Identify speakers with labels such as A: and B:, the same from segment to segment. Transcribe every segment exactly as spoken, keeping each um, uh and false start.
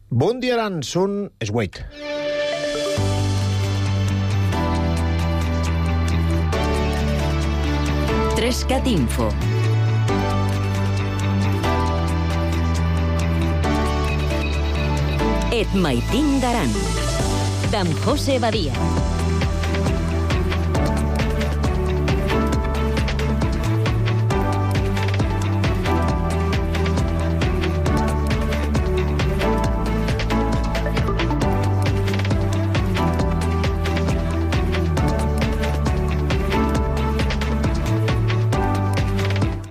A: Bon dia, Aran, són es vuit.
B: Trescat Info. Et maitin d'Aran, d'en José Badia.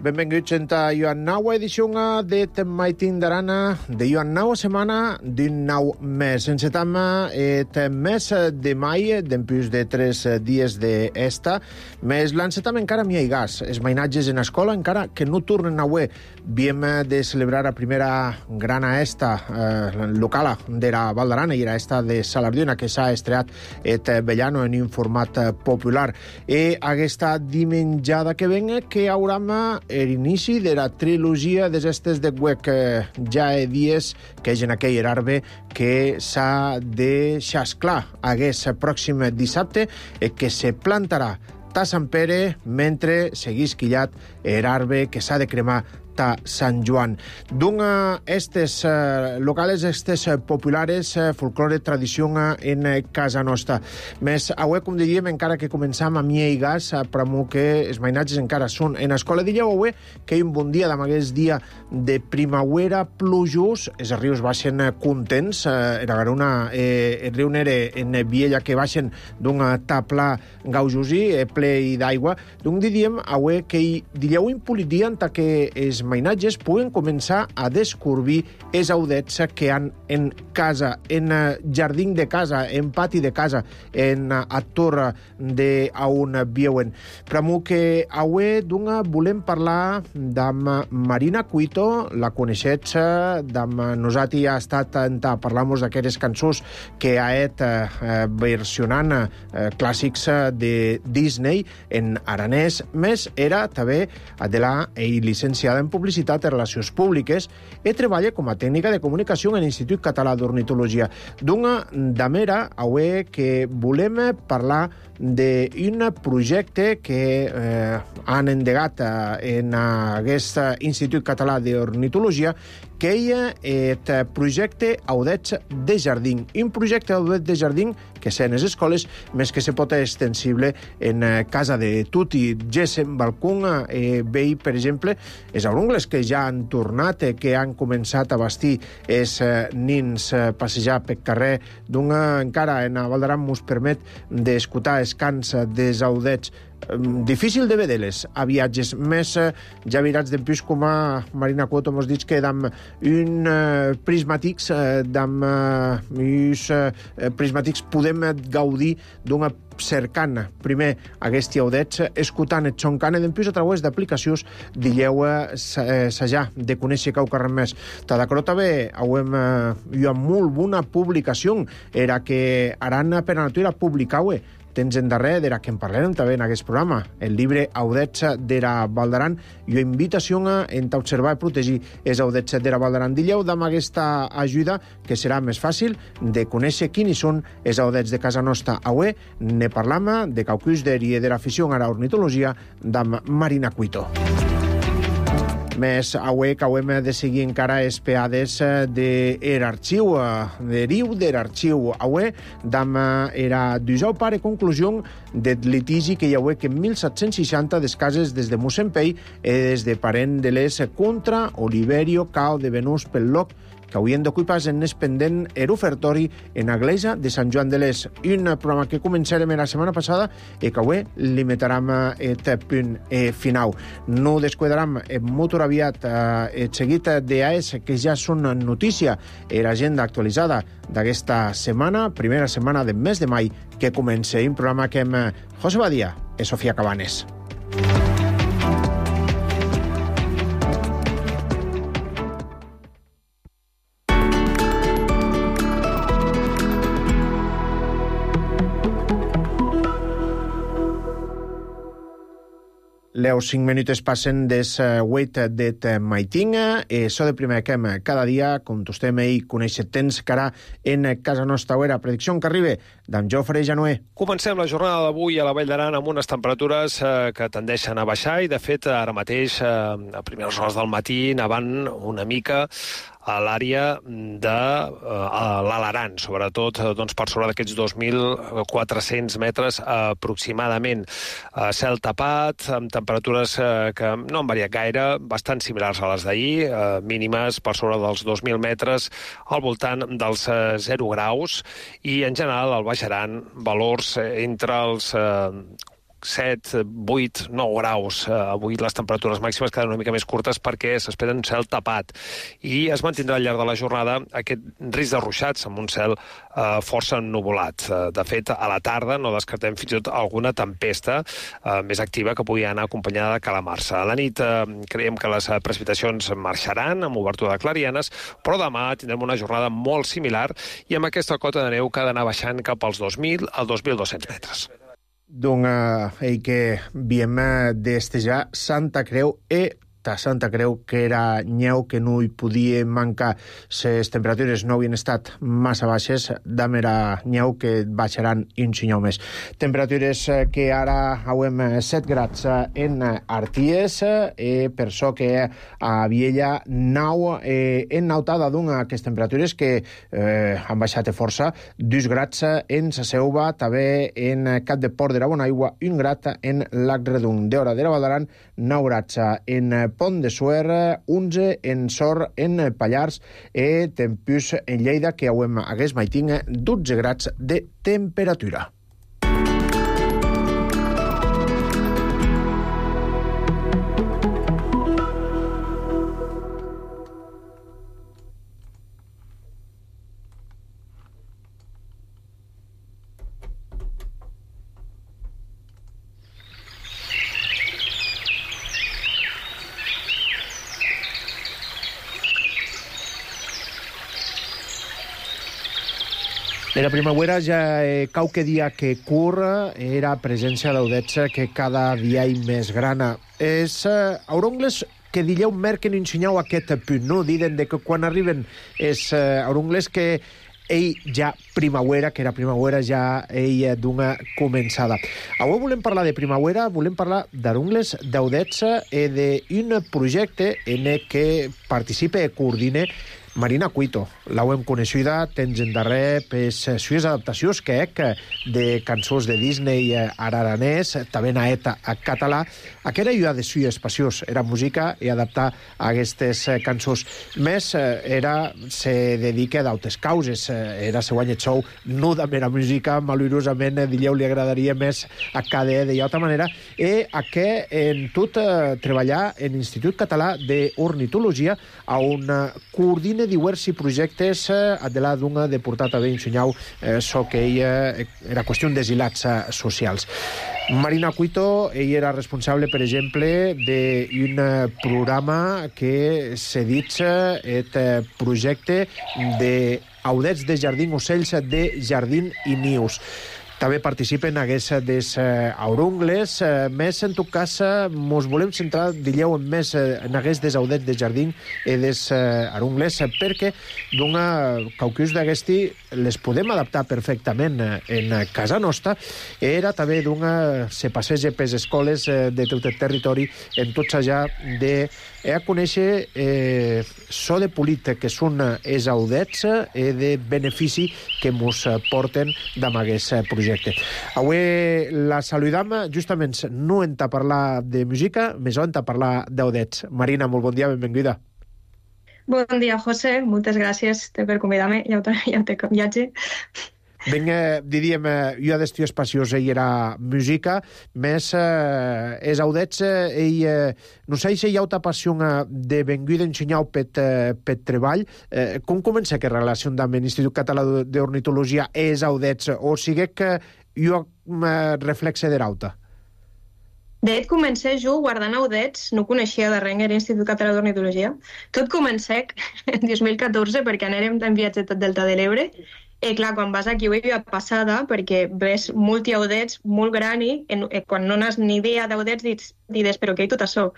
A: Benvinguts a Joan Naua edició de Maitin d'Arana de Joan Naua setmana d'un nou mes. Encetam et mes de mai, d'empús de tres dies d'esta, mes l'encetam encara mi hi gas. Els mainatges en escola encara que no tornen a ué. Viem de celebrar a primera grana esta eh, locala d'era Val d'Arana i era esta de Salardiona que s'ha estreat et Bellano en un format popular. E aquesta dimenjada que ven que hauram l'inici de la trilogia des estes de web que ja he dies que és en aquell arbre que s'ha de xasclar aquest pròxim dissabte e que se plantarà ta Sant Pere mentre seguís quillat l'arbre que s'ha de cremar ta Sant Joan. D'un estes uh, locales, estes uh, populares, uh, folklore, tradició uh, en uh, casa nostra. Més, avui, com diríem, encara que començam a mie i gas, uh, per mo que els mainatges encara són en escola. Diríeu avui que hi ha un bon dia, d'amagués dia de primavera plujós, els rius baixen uh, contents, uh, era garuna, eh, el riu Nere en Viella que baixen d'un uh, tapla gaujosí, eh, ple d'aigua. D'un diríem avui que hi diríeu impolit dia en que els mainatges puguen començar a descobrir els audets que han en casa, en jardí de casa, en pati de casa, en a torre de a on viuen. Per mo que avui d'una volem parlar d'amb Marina Cuito, la coneixets, d'amb nosaltres ha estat a parlar-nos d'aquestes cançons que ha et eh, versionant eh, clàssics de Disney en aranès, més era també de la i licenciada en publicitat i relacions públiques i treballa com a tècnica de comunicació en l'Institut Català d'Ornitologia. D'una damera, avui que volem parlar d'un projecte que eh, han endegat eh, en aquest Institut Català d'Ornitologia que hi ha el projecte Audets de Jardí. Un projecte Audets de Jardí que s'ha en les escoles, més que se pot extensible en casa de tutti. Gessem balcón, eh, vei, per exemple, els aurungles que ja han tornat, eh, que han començat a vestir els eh, nins eh, passejar pel carrer. D'un encara en Val d'Aran mos permet d'escoltar els cants dels audets. Difícil de veure-les a viatges, més eh, ja virats d'empús com a Marina Cuito mos dit que d'amb un eh, prismàtics eh, d'amb eh, eh, prismàtics podem gaudir d'una cercant primer aquests audets, escoltant et xoncant d'empús a través d'aplicacions dilleu s'hajà de conèixer cau carrer més. Tada crota bé, hauem jo amb molt bona publicació era que Aran per a natura publicaue tens en darrer d'era que en parlarem també en aquest programa, el llibre Audets d'era Val d'Aran i invitació a observar i protegir els audets d'era Val d'Aran. Dilleu d'amb aquesta ajuda que serà més fàcil de conèixer quins són els audets de casa nostra. Avui ne parlam de caucus d'era de l'afició a l'ornitologia d'amb Marina Cuito. Més avui que hauem de seguir encara espiades de l'arxiu, de riu de l'arxiu. Avui d'amb era dijous pare conclusió del litigi que hi ha que en mil set-cents seixanta des cases des de Mossempell i des de parent de les contra Oliverio Cao de Venús pel Loc que haurien d'ocupar en el pendent er ofertori en l'església de Sant Joan de l'Es. Un programa que començarem la setmana passada i que avui limitarem el punt final. No descuidarem molt aviat el seguit d'A E S que ja són notícia i l'agenda actualitzada d'aquesta setmana, primera setmana del mes de mai que comença un programa que amb José Badia i Sofia Cabanes. Les cinc minutes passen des huit det maitin, e so de primer que cada dia, com tostem i conèixer temps que ara en casa nostra era predicció que arriba d'en Jofre Januer.
C: Comencem la jornada d'avui a la Vall d'Aran amb unes temperatures eh, que tendeixen a baixar i, de fet, ara mateix, eh, a primeres hores del matí, nevant una mica a l'àrea de uh, l'Alaran, sobretot doncs, per sobre d'aquests dos mil quatre-cents metres aproximadament. Uh, cel tapat, amb temperatures uh, que no han variat gaire, bastant similars a les d'ahir, uh, mínimes per sobre dels dos mil metres, al voltant dels uh, zero graus, i en general al Baix Aran valors entre els uh, set, vuit, nou graus. Uh, avui les temperatures màximes queden una mica més curtes perquè s'espera un cel tapat. I es mantindrà al llarg de la jornada aquest risc de ruixats amb un cel uh, força ennuvolat. Uh, de fet, a la tarda no descartem fins i tot alguna tempesta uh, més activa que pugui anar acompanyada de calamarsa. A la nit uh, creiem que les precipitacions marxaran amb obertura de clarianes, però demà tindrem una jornada molt similar i amb aquesta cota de neu que ha d'anar baixant cap als dos mil al dos mil dos-cents metres.
A: Donc, eh, que viem d'estejar Santa Creu e ta Santa Creu, que era nyeu, que no hi podia mancar. Les temperatures no havien estat massa baixes, dam era nyeu que baixaran un xinyau més. Temperatures que ara hauem set grads en Arties, e per això que a Viella nau eh, en nautada d'un aquestes temperatures que eh, han baixat força, dos grads en Sa Selva, també en Cap de Port de la Bonaigua, un grad en Lac Redung. D'hora de la Vall d'Aran, nou grads en Pont de Suert, onze en Sor, en Pallars, e tempus en Lleida, que hauem hagués maitin dotze grads de temperatura. De la primavera ja eh, qualque dia que cur era presència d'audets que cada dia hi més grana. És eh, aurongles que dileu merquen ensenyau aquest punt, no? Diden de que quan arriben és eh, aurongles que ell ja primavera, que era primavera ja ell d'una començada. Avui volem parlar de primavera, volem parlar d'arungles d'audets i d'un projecte en què participa i coordina Marina Cuito. L'hauem coneixida temps endarrer per les sues adaptacions que ec de cançons de Disney araranès, també naet a català. Aquesta era de sues passions, era música i adaptar aquestes cançons. Més, era se dedica d'altres causes. Era se guanya xou, no de mera música, malurosament, dileu li agradaria més a cada de altra manera, i a què en tot treballar en l'Institut Català d'Ornitologia, on coordina diversi projectes a de la d'una de portar també ensenyau eh, so que ella era qüestió d'asilats socials. Marina Cuito, ella era responsable, per exemple, d'un programa que se dit aquest projecte d'audets de jardí, ocells de jardí i nius. També participen aquests des aurungles. Més, en tot cas, mos volem centrar, dileu, més en aquests des audets de jardí i des aurungles, perquè d'una caucus d'aquesti les podem adaptar perfectament en casa nostra. Era també d'una se passeja per les escoles de tot el territori, en tots allà de a conèixer eh, so de polit que són els audets i de benefici que mos porten d'amb aquest projecte. Avui la saludam justament no en ta parlar de música, més en ta parlar d'audets. Marina, molt bon dia, benvinguda.
D: Bon dia, José. Moltes gràcies per convidar-me. Ja ho, ja ho té com viatge.
A: Ben, eh, diríem, eh, jo d'estiu espaciós ell era música, més eh, és audets, eh, ell, eh, no sé si hi ha una passió de venir d'ensenyar per, eh, per treball. Eh, com comença aquesta relació amb l'Institut Català d'Ornitologia és audets, o sigui que jo eh, reflexe de rauta?
D: De fet, comencé jo guardant audets, no coneixia de res l'Institut Català d'Ornitologia. Tot comencé en dos mil catorze perquè anèrem en viatge tot Delta de l'Ebre Eh, clar, quan vas aquí ho hi ha passada, perquè ves molti audets molt grani, en, eh, quan no n'has ni idea d'audets, dius, dius, però què hi tot això?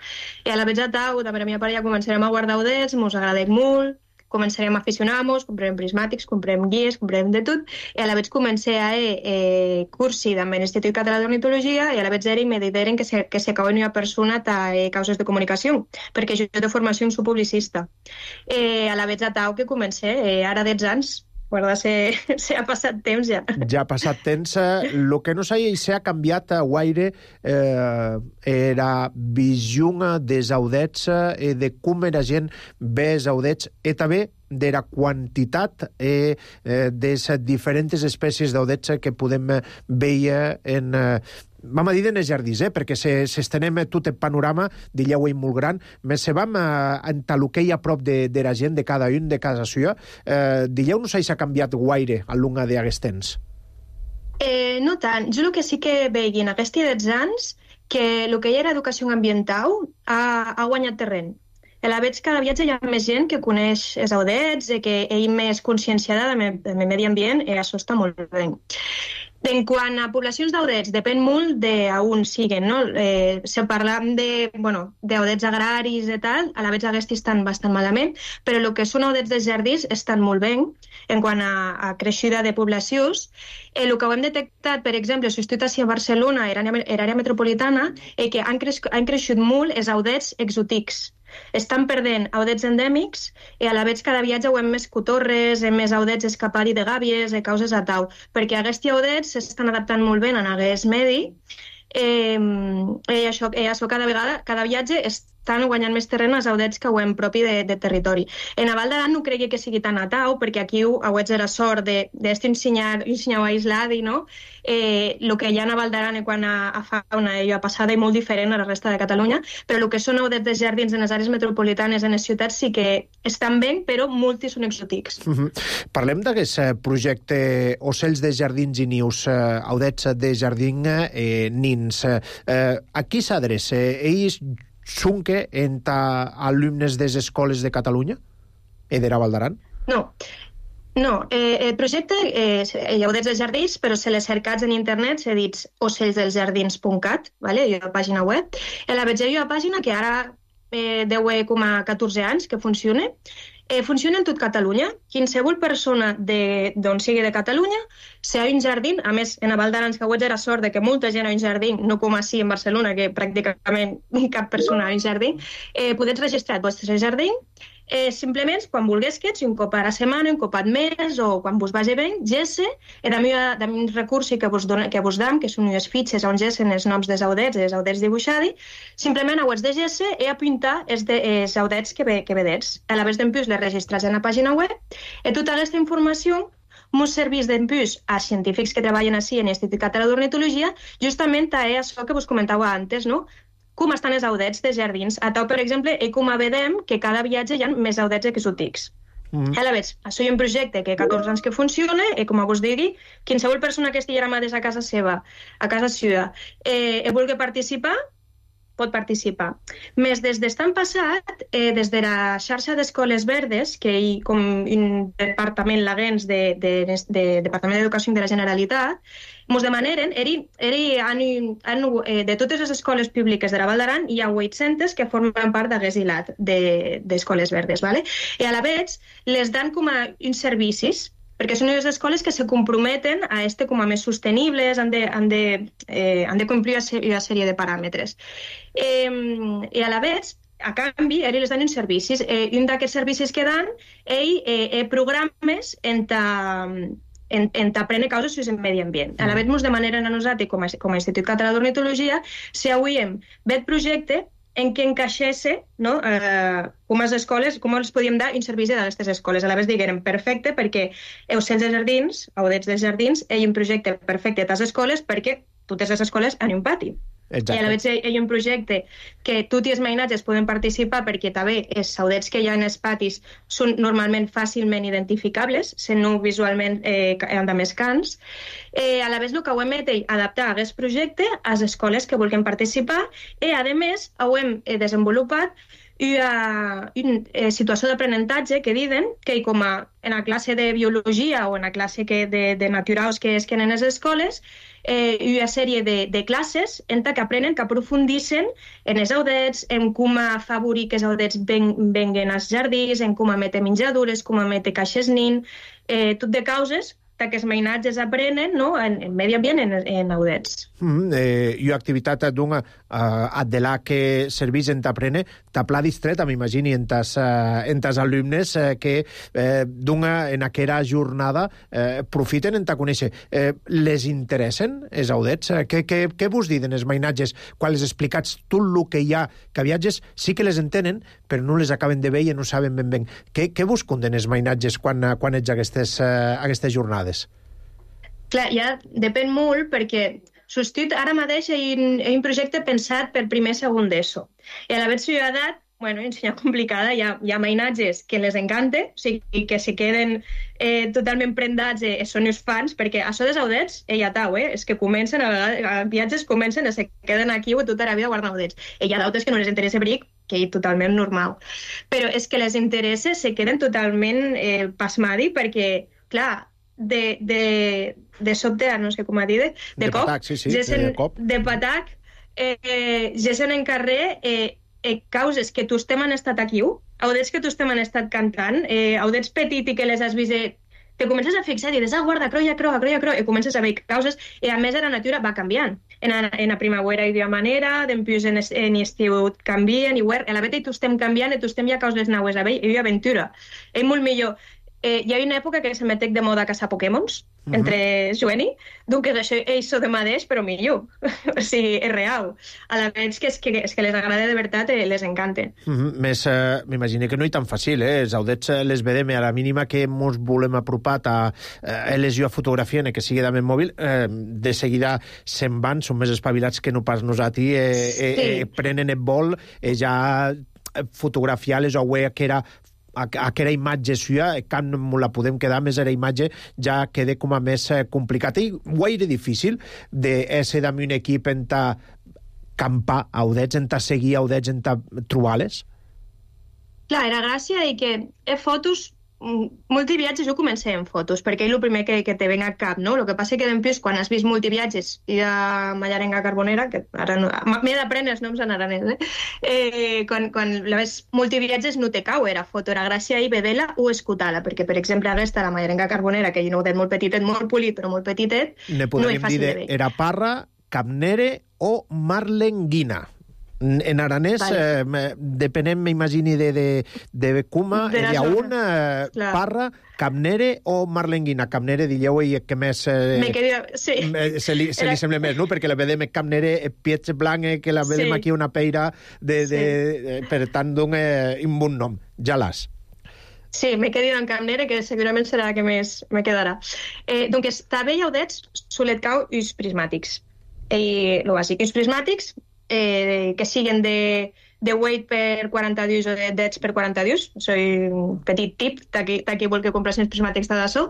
D: I a la vegada tau, de la meva parella, començarem a guardar audets, mos agradec molt, començarem a aficionar-nos, comprem prismàtics, comprem guies, comprem de tot, i a la vegada comencé a eh, cursi amb l'Institut Català d'Ornitologia i a la vegada era i me dideren que se, que se acaba una persona a eh, causes de comunicació, perquè jo de formació soc publicista. Eh, a la vegada tau que comencé, eh, ara dotze anys, guarda, se, se ha passat temps ja.
A: Ja ha passat temps. El que no sé si ha canviat a guaire eh, era visió dels audets eh, de com era gent ve els audets i també de la quantitat eh, eh, de les diferents espècies d'audets que podem veure en... Eh, vam a dir en els jardins, eh, perquè se, s'estenem tot el panorama d'Illeu molt gran, més se vam a, a entaloquei a prop de, de la gent, de cada un, de casa seva. Eh, d'Illeu no sé si s'ha canviat guaire a l'unga d'aquests temps.
D: Eh, no tant. Jo el que sí que veig en aquests dotze anys que el que hi era educació ambiental ha, ha guanyat terreny. A la vegada cada viatge hi ha més gent que coneix els audets, que ell més conscienciada del medi ambient, i això està molt bé. En quant a poblacions d'audets, depèn molt d'on siguen, no? Eh, si parlam de, bueno, d'audets agraris i tal, a la vegada aquests estan bastant malament, però el que són audets dels jardins estan molt bé en quant a, a creixida de poblacions. Eh, el que ho hem detectat, per exemple, si estic a Barcelona, era àrea metropolitana, eh, que han, creix, han creixut molt els audets exotics. Estan perdent audets endèmics i a la vegada cada viatge ho hem més cotorres, hem més audets escapari de gàbies, de causes a tau, perquè aquests audets s'estan adaptant molt bé en aquest medi eh, i això, i això cada vegada, cada viatge estan guanyant més terreny als audets que ho hem propi de, de territori. En a Val d'Aran no cregui que sigui tan a tau, perquè aquí audets era sort d'este un senyau aïslat, no? Eh, el que hi ha a Val d'Aran quant a, a fauna i a passada i molt diferent a la resta de Catalunya, però el que són audets de jardins en les àrees metropolitanes, en les ciutats, sí que estan bé, però molts són exòtics.
A: Uh -huh. Parlem d'aquest projecte Ocells de Jardins i Nius, eh, audets de jardin eh, nins. Eh, a qui s'adreça? Ells són que entre alumnes de les escoles de Catalunya i de la Val d'Aran?
D: No. No, eh, el projecte eh, hi ha audets dels jardins, però se les cercats en internet s'ha dit ocells dels jardins punt cat, vale? Hi ha una pàgina web. A la vegada hi ha una pàgina que ara eh, deu com a catorze anys que funciona. Eh, funciona en tot Catalunya. Qualsevol persona d'on sigui de Catalunya, si hi ha un jardí, a més, en a Val d'Aran que era sort de que molta gent ha un jardí, no com així en Barcelona, que pràcticament cap persona ha un jardí, eh, podeu registrar el vostre jardí. Eh, simplement, quan vulguis que ets, un cop a la setmana, un cop al mes, o quan vos vagi bé, gesse, eh, de un recurs que vos, dona, que vos dam, que són unes fitxes on gessen els noms dels audets, els audets dibuixats, simplement ho has de gesse i apuntar els, de, els audets que, ve, que vedets. A la vegada d'en plus les registrats en la pàgina web, i tota aquesta informació mos serveix d'en plus a científics que treballen així en l'Institut Català d'Ornitologia, justament a això que vos comentava antes, no? Com estan els audets de jardins. A tau, per exemple, i com vedem que cada viatge hi ha més audets exòtics. Mm. A la vegada, això hi ha un projecte que catorze anys que funciona i, com vos digui, qualsevol persona que estigui ara a casa seva, a casa seva, eh, i vulgui participar, pot participar. Més des d'estan passat, eh, des de la xarxa d'Escoles Verdes, que hi com un departament laguens de, de, de, de Departament d'Educació de la Generalitat, ens demaneren, eri, eri, han, han, eh, de totes les escoles públiques de la Val d'Aran hi ha vuit-centes que formen part d'aquest hilat d'Escoles Verdes. ¿Vale? I a la vegada les dan com a uns servicis, perquè són unes escoles que se comprometen a este com a més sostenibles, han de, han de, eh, han de complir una sèrie de paràmetres. Eh, I a la vegada, a canvi, ells les dan uns servicis. Eh, un d'aquests servicis que dan, ell eh, programes entre en, en t'aprendre causes sobre el medi ambient. A la vegada ens demanen a nosaltres, com a, com a Institut Català d'Ornitologia, si avui hem fet projecte en què encaixesse, no, eh, com les escoles, com els podíem dar un servici d'aquestes escoles. A la vegada diguem, perfecte, perquè ocells de jardins, audets dels jardins, hi ha un projecte perfecte a les escoles perquè totes les escoles han un pati. Exacte. I a la vegada hi ha un projecte que tots els mainatges poden participar perquè també els audets que hi ha en els patis són normalment fàcilment identificables, sent no visualment eh, de més cants. Eh, a la vegada el que ho hem fet és adaptar aquest projecte a les escoles que vulguin participar i a més ho hem desenvolupat una, una eh, situació d'aprenentatge que diuen que com a, en la classe de biologia o en la classe que de, de naturals que es que en les escoles, eh, una sèrie de, de classes en què aprenen, que aprofundissin en els audets, en com afavorir que els audets ven, venguen als jardins, en com emetre menjadures, com emetre caixes nin, eh, tot de causes que els mainatges aprenen, no? en, en medi ambient, en, en audets.
A: Mm, eh, I activitat d'una uh, de la que serveix en t'aprene, t'apla distreta, m'imagini, en tas, uh, en tas alumnes uh, que uh, d'una en aquella jornada uh, profiten en ta conèixer. Uh, les interessen els audets? Uh, què, què, què vos diden els mainatges quan les explicats tot el que hi ha, que viatges sí que les entenen, però no les acaben de veure i no saben ben ben. Què, què vos conden els mainatges quan, quan ets a aquestes, uh, aquestes jornades?
D: Clar, ja depèn molt perquè substitut ara mateix hi ha un projecte pensat per primer segon d'ESO. I a la versió d'edat, bueno, ensenyar complicada, hi ha, hi ha mainatges que les encanta, o sigui, que se queden eh, totalment prendats i són els fans, perquè això dels audets, eh, ja tau, eh, és que comencen, a vegades, a viatges comencen i se queden aquí o tota la vida guardant audets. I hi ha d'altres que no les interessa bric, que és totalment normal. Però és que les interessa, se queden totalment eh, pasmadi perquè, clar, de, de, de sobte, no sé com a dir, de, de,
A: de
D: cop,
A: patac, sí, sí,
D: gessen,
A: de cop.
D: De patac, eh, eh, gessen en carrer eh, eh, causes que tu estem han estat aquí, audets que tu estem han estat cantant, eh, audets petit i que les has vist, eh, te comences a fixar i dius, ah, guarda, croia, croa, croia, croa, i comences a veure causes, i a més la natura va canviant. En la, en la primavera hi d'una manera, després en, en estiu canvien, i a la veta tu estem canviant, i tu estem ja causes naues a veure, i hi ha aventura. És molt millor. Eh, hi ha una època que se metec de moda a caçar Pokémons, uh-huh. entre Joeni, doncs això és de mateix, però millor. O sigui, és real. A la vegada que és que, és que les agrada de veritat, eh, les encanta.
A: Uh-huh. Més, eh, m'imagino que no és tan fàcil, eh? Els audets les vedem a la mínima que ens volem apropar a eh, les jo a fotografia, que sigui també mòbil, eh, de seguida se'n van, són més espavilats que no pas nosaltres, eh, sí. eh, eh, prenen el vol, eh, ja fotografiar-les o wea que era aquella imatge suya, quan la podem quedar més era imatge, ja queda com a més complicat. I guaire difícil d'ésser amb un equip en ta campar a audets, en ta seguir a audets, en ta trobar-les?
D: Clar, era gràcia i que he fotos, multiviatges ho comencé en fotos, perquè és el primer que, que te ven a cap, no? El que passa que després, quan has vist multiviatges i a Mallarenga Carbonera, que ara no, m'he d'aprendre els noms en aranès, eh? eh quan, quan la ves multiviatges no te cau, era foto, era gràcia i vedela o escutar-la, perquè, per exemple, aquesta, la Mallarenga Carbonera, que hi ha un audet molt petitet, molt polit, però molt petitet,
A: ne
D: no és fàcil de, de
A: veure. Era parra, capnere o marlenguina. En aranès, vale. eh, depenent, m'imagini, de, de, de cuma, de hi ha una eh, parra, capnere o marlenguina. Capnere, digueu, i que més eh,
D: Me quedia, sí.
A: se, li, se Era... li sembla més, no? Perquè la vedem capnere, piets blanc, que la vedem sí. aquí una peira, de, de, sí. de, per tant, d'un eh, un bon nom. Ja l'has.
D: Sí, m'he quedat en capnere, que segurament serà la que més me quedarà. Eh, doncs, també hi ha audets, solet cau, uns prismàtics. I el bàsic, uns prismàtics, Eh, que siguen de, de weight per quaranta dies o de dets per quaranta dies. Soy un petit tip, d'aquí vol que compres els prismàtics de d'açò.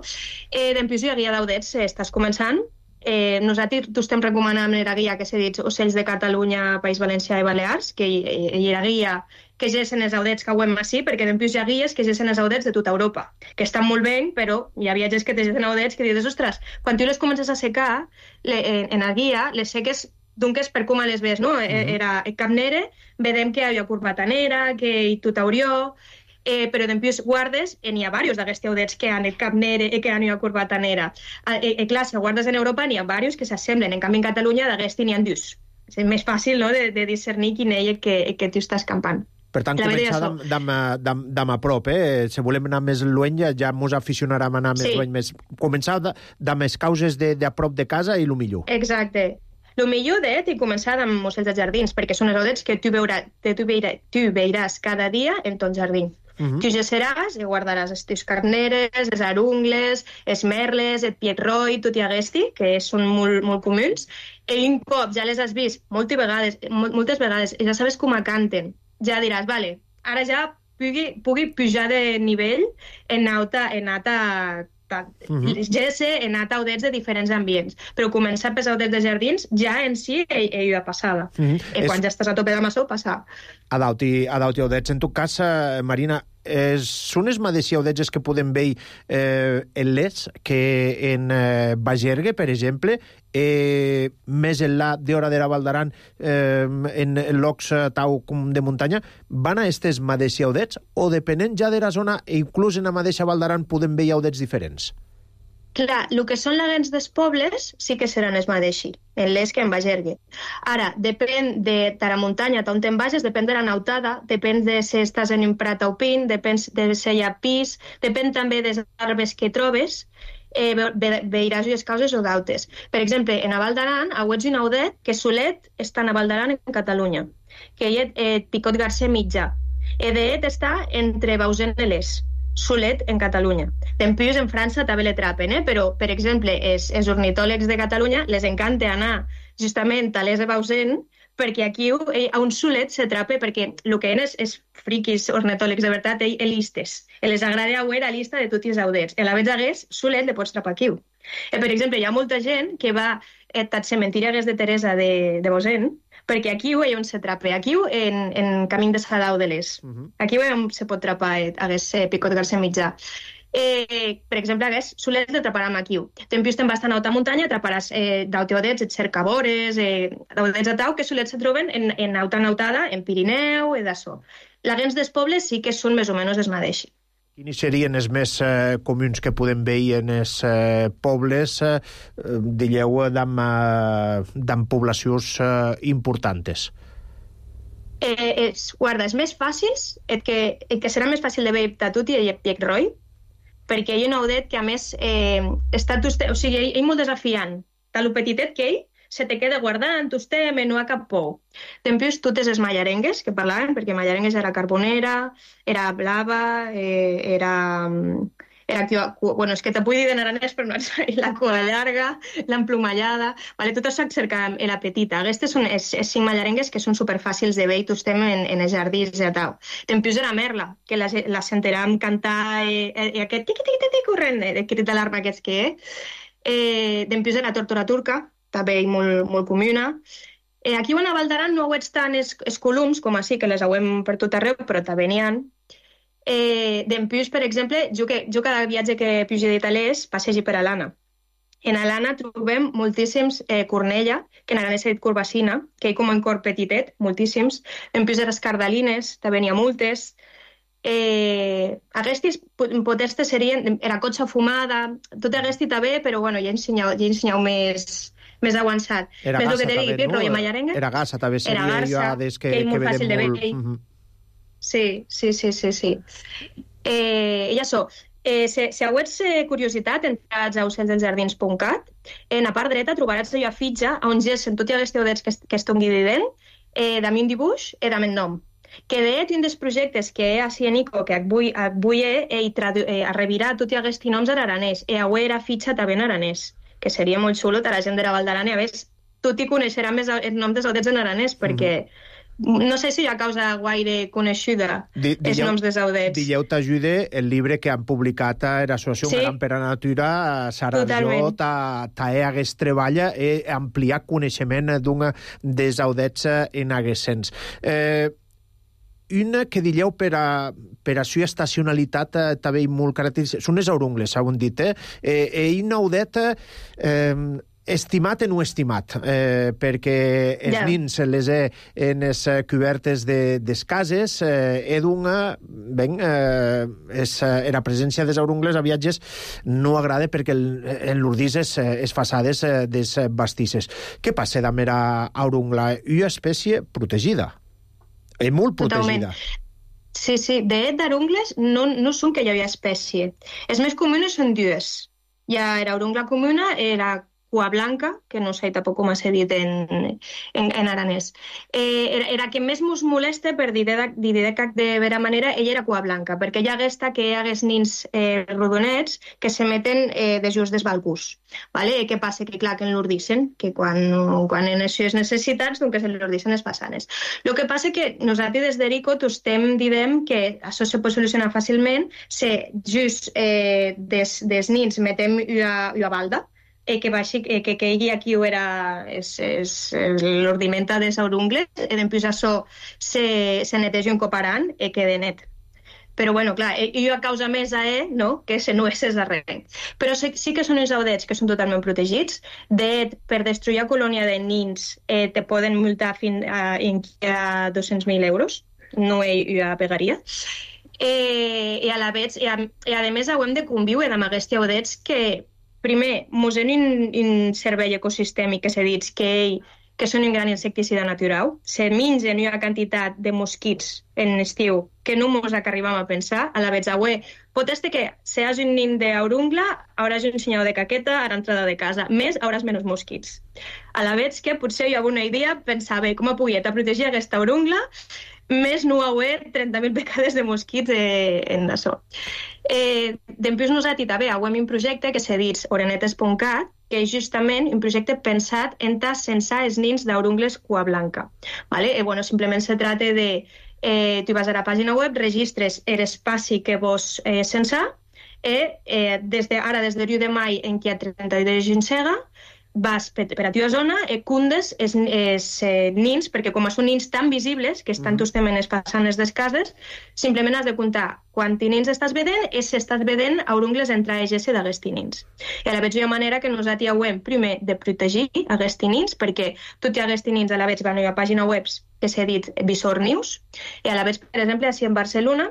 D: Eh, D'empús hi ha guia d'audets, eh, estàs començant. Eh, nosaltres t'ho estem recomanant en la guia que s'ha dit Ocells de Catalunya, País Valencià i Balears, que hi, hi ha guia que gessen els audets que ho així, perquè d'empús hi ha guies que gessen els audets de tota Europa, que estan molt bé, però hi ha viatges que te gessen audets que dius, ostres, quan tu les comences a secar, le, en, en la guia, les seques dunques per com les ves, no? Mm-hmm. Era capnere, vedem que hi havia curvatanera, que hi tutaurió, eh, però d'empús guardes, eh, n'hi ha diversos d'aquests audets que han el capnere i que han la curvatanera. Eh, eh, clar, si guardes en Europa n'hi ha diversos que s'assemblen, en canvi en Catalunya d'aquests n'hi ha dius. És més fàcil, no?, de, de discernir quin és el que, el que tu estàs campant.
A: Per tant, la començar d'am a prop, eh? Si volem anar més lluny, ja mos aficionarem a anar més sí. lluny. Més... Començar d'am les causes de, de a prop de casa i el millor.
D: Exacte. El millor de i començar amb ocells de jardins, perquè són els audets que tu, veurà, tu, veurà, tu veuràs cada dia en ton jardí. Uh-huh. Tu gesseràs i guardaràs els teus carneres, els arungles, els merles, el pietroi, tot i aquest, que són molt, molt comuns, i un cop ja les has vist moltes vegades, moltes vegades i ja sabes com canten, ja diràs, vale, ara ja pugui, pugui pujar de nivell en alta, en alta Uh-huh. Ja sé, he anat a audets de diferents ambients, però començar per audets de jardins ja en si ell, ell ja passava. Uh-huh. I quan és... ja estàs a tope de maçó, passa.
A: Adauti, adauti audets. En tot cas, eh, Marina, eh, són els mateixos audets que podem veure eh, en les que en eh, Bagergue, per exemple, eh, més enllà d'Hora de la Val d'Aran, eh, en, en llocs eh, tau com de muntanya, van a aquests mateixos audets o depenent ja de la zona, e inclús en la mateixa Val d'Aran podem veure audets diferents?
D: Clar, el que són laguens dels pobles sí que seran els mateixos, en les que en Bagergue. Ara, depèn de la muntanya on te'n vagis, depèn de la nautada, depèn de si estàs en un prat o pin, depèn de si hi ha pis, depèn també de les arbres que trobes, eh, ve, veuràs les causes o dautes. Per exemple, en a Val d'Aran, a Huets i Naudet, que Solet està a Val d'Aran en Catalunya, que hi ha eh, Picot Garcer mitjà. Edet està entre Bausen i Les. Solet en Catalunya. Dempuis en França també le trapen, eh? Però, per exemple, els, els ornitòlegs de Catalunya les encanta anar justament a Les de Bausen perquè aquí a un Solet se trape perquè el que eren és, és friquis ornitòlegs de veritat, ell listes. Les agrada veure la llista de tots els audets. En la vez d'hagués, Solet le pots trapar aquí. Eh, per exemple, hi ha molta gent que va al cementiri Hagués de Teresa de, de Bausen perquè aquí hi ha on se trape, aquí en, en Camí de Sadau de Les. Uh-huh. Aquí hi on se pot trapar Hagués eh, Picot Garcer mitjà. Eh, per exemple, Hagués Solet le traparà aquí. Tempius te'n bastant a alta muntanya, traparàs eh, d'auteodets, et cercavores, eh, daudets a tau, que Solet se troben en, en alta nautada, en Pirineu, i d'això. Laguens dels pobles sí que són més o menys els mateixos.
A: Quins serien els més eh, comuns que podem veure en els eh, pobles, eh, digueu, d'am, eh, d'am poblacions eh, importants?
D: Eh, és, guarda, els més fàcils, el que, el que serà més fàcil de veure a tu i a Piecroi, perquè hi ha un audet que, a més, eh, està, o sigui, ell, ell molt desafiant. Tal petitet que ell se te queda guardant, usted, no ha cap por. Dempuis, totes les mallarengues que parlaven, perquè mallarengues era carbonera, era blava, eh, era... era bueno, és que te puc dir de naranès, però no és la cua llarga, l'emplomallada... Vale, tot això cerca la petita. Aquestes són els, els cinc mallarengues que són superfàcils de veure, estem en, en els jardins i tal. Dempuis era merla, que la, la sentirem cantar eh, eh, aquest tiqui-tiqui-tiqui corrent, de crit d'alarma aquests que és. Eh, Dempuis era tortora turca, també molt, molt comuna. Eh, aquí a Val d'Aran no ho ets tant els, els colums, com així, que les hauem per tot arreu, però també n'hi ha. Eh, Dempuis, per exemple, jo, que, jo cada viatge que pugi d'Italès passegi per Alana. En Alana trobem moltíssims eh, cornella, que en aranès s'ha dit curvacina, que hi com un cor petitet, moltíssims. Dempuis de les cardalines, també n'hi ha moltes. Eh, aquestes potestes serien era cotxa fumada, tot aquest també, però bueno, ja ensenyau, ja ensenyau més... més avançat.
A: Era
D: més
A: gassa
D: que
A: també, no? Era gassa també, seria
D: garça,
A: des que,
D: que és molt
A: que
D: fàcil de
A: molt...
D: veure.
A: Uh-huh.
D: Sí, sí, sí, sí, sí. Eh, I això, eh, si, si heu eh, curiositat, entrats a ocelsdeljardins punt cat, en la part dreta trobaràs la fitxa on gessen tots els teodets que, que estan guidint, eh, d'ami un dibuix i d'ami un nom. Que d'et un dels projectes que he a Nico, que avui, avui he, he tradu- eh, a revirar tots aquests noms en aranès, i avui era fitxa també en aranès, que seria molt xulo a la gent de la Val d'Aran, i a més, tot hi coneixerà més el nom dels audets en aranès, perquè mm. no sé si hi ha causa gaire coneixuda di, els dilleu, noms dels audets.
A: Dilleu t'ajude el llibre que han publicat a l'Associació
D: sí.
A: Gran per a Natura, Sara Jo, ta, ta he hagués treballa e ampliar coneixement d'un dels audets en haguesens. Eh, una que dilleu per a, per a sua estacionalitat eh, també molt característica, són les aurungles, s'ha dit, eh? Eh, un audet eh, estimat i no estimat, eh, perquè els yeah. nins les he en les cobertes de, des cases, eh, he d'una, ben, eh, és, eh, la presència dels aurungles a viatges no agrada perquè el, en l'urdís és, és façades eh, des bastisses. Què passa amb la aurungla? Una espècie protegida. És molt protegida.
D: Totalment. Sí, sí. De d'arungles no, no són que hi havia espècie. Els més comunes són dues. Hi ha l'aurungla comuna i la cua blanca, que no sé tampoc com s'ha dit en, en, en aranès. Eh, era, era que més mos molesta, per dir de, dir de cap de vera manera, ella era cua blanca, perquè hi hagués que hi hagués nins eh, rodonets que se meten eh, de just des balbús. Vale? Què passa? Que clar, que en l'ordicen, que quan, quan en això és necessitats, doncs que se l'ordicen les façanes. El que passa que nosaltres des d'Erico t'estem dient que això se pot solucionar fàcilment, se just eh, des, des nins metem una, una balda, eh, que, baixi, eh, que caigui aquí o era és, és, és l'ordimenta de saurungles, i després això se, se neteja un coparant i queda net. Però, bueno, clar, jo a causa més a E, no?, que se no és darrere. Però sí, sí que són uns audets que són totalment protegits. De, per destruir la colònia de nins eh, te poden multar fins a, a dos-cents mil euros. No hi ha pegaria. Eh, i, a la vez, i, a, i a més hem de conviure amb aquests audets que, primer, mos en un, un servei ecosistèmic que s'ha dit que ell que són un gran insecticida natural, se mengen una quantitat de mosquits en estiu que no mos arribam a pensar. A la vez, avui, pot ser que si has un nin d'aurungla, hauràs un senyal de caqueta a l'entrada de casa. Més, hauràs menys mosquits. A la vez que potser hi ha una idea, pensar, bé, com a pogueta protegir aquesta aurungla, més no haver trenta mil becades de mosquits eh, en això. Eh, Després nosaltres també hem un projecte que s'ha dit orenetes punt cat, que és justament un projecte pensat en censar els nins d'aurungles cua blanca. ¿Vale? Eh, bueno, simplement se trata de, eh, tu vas a la pàgina web, registres l'espai que vols eh, censar, eh, eh, des de, ara des de l'u de mai en què hi ha trenta-dos de Ginsega, vas per, per a teva zona, eh, cundes els eh, nins, perquè com són nins tan visibles, que estan mm. justament les façanes des cases, simplement has de comptar quants nins estàs vedent i si estàs vedent aurungles entre ells d'aquests nins. I a la vegada hi ha manera que nosaltres hem, primer, de protegir aquests nins, perquè tots aquests nins a la vegada van a una pàgina web que s'ha dit Visor News, i a la vegada, per exemple, així en Barcelona,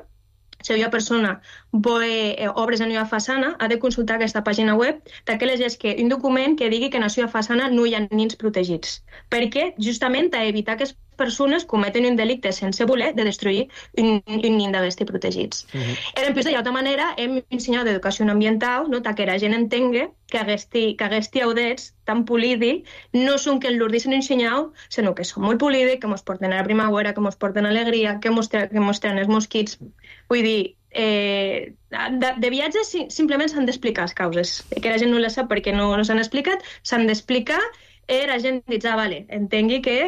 D: si una persona vol eh, obres en una façana, ha de consultar aquesta pàgina web d'aquelles és que un document que digui que en la seva façana no hi ha nins protegits. Perquè, justament, a evitar que les persones cometen un delicte sense voler de destruir un, un nin d'aquests protegits. Uh-huh. I en plus, d'altra manera, hem ensenyat d'educació ambiental, no?, que la gent entengui que aquests audets tan polídics no són que l'ordicen ensenyau, sinó que són molt polídics, que ens porten a la primavera, que ens porten alegria, que ens tenen els mosquits. Vull dir, eh, de, de viatges simplement s'han d'explicar les causes, que la gent no les sap perquè no, no s'han explicat, s'han d'explicar i la gent diu, ah, vale, entengui que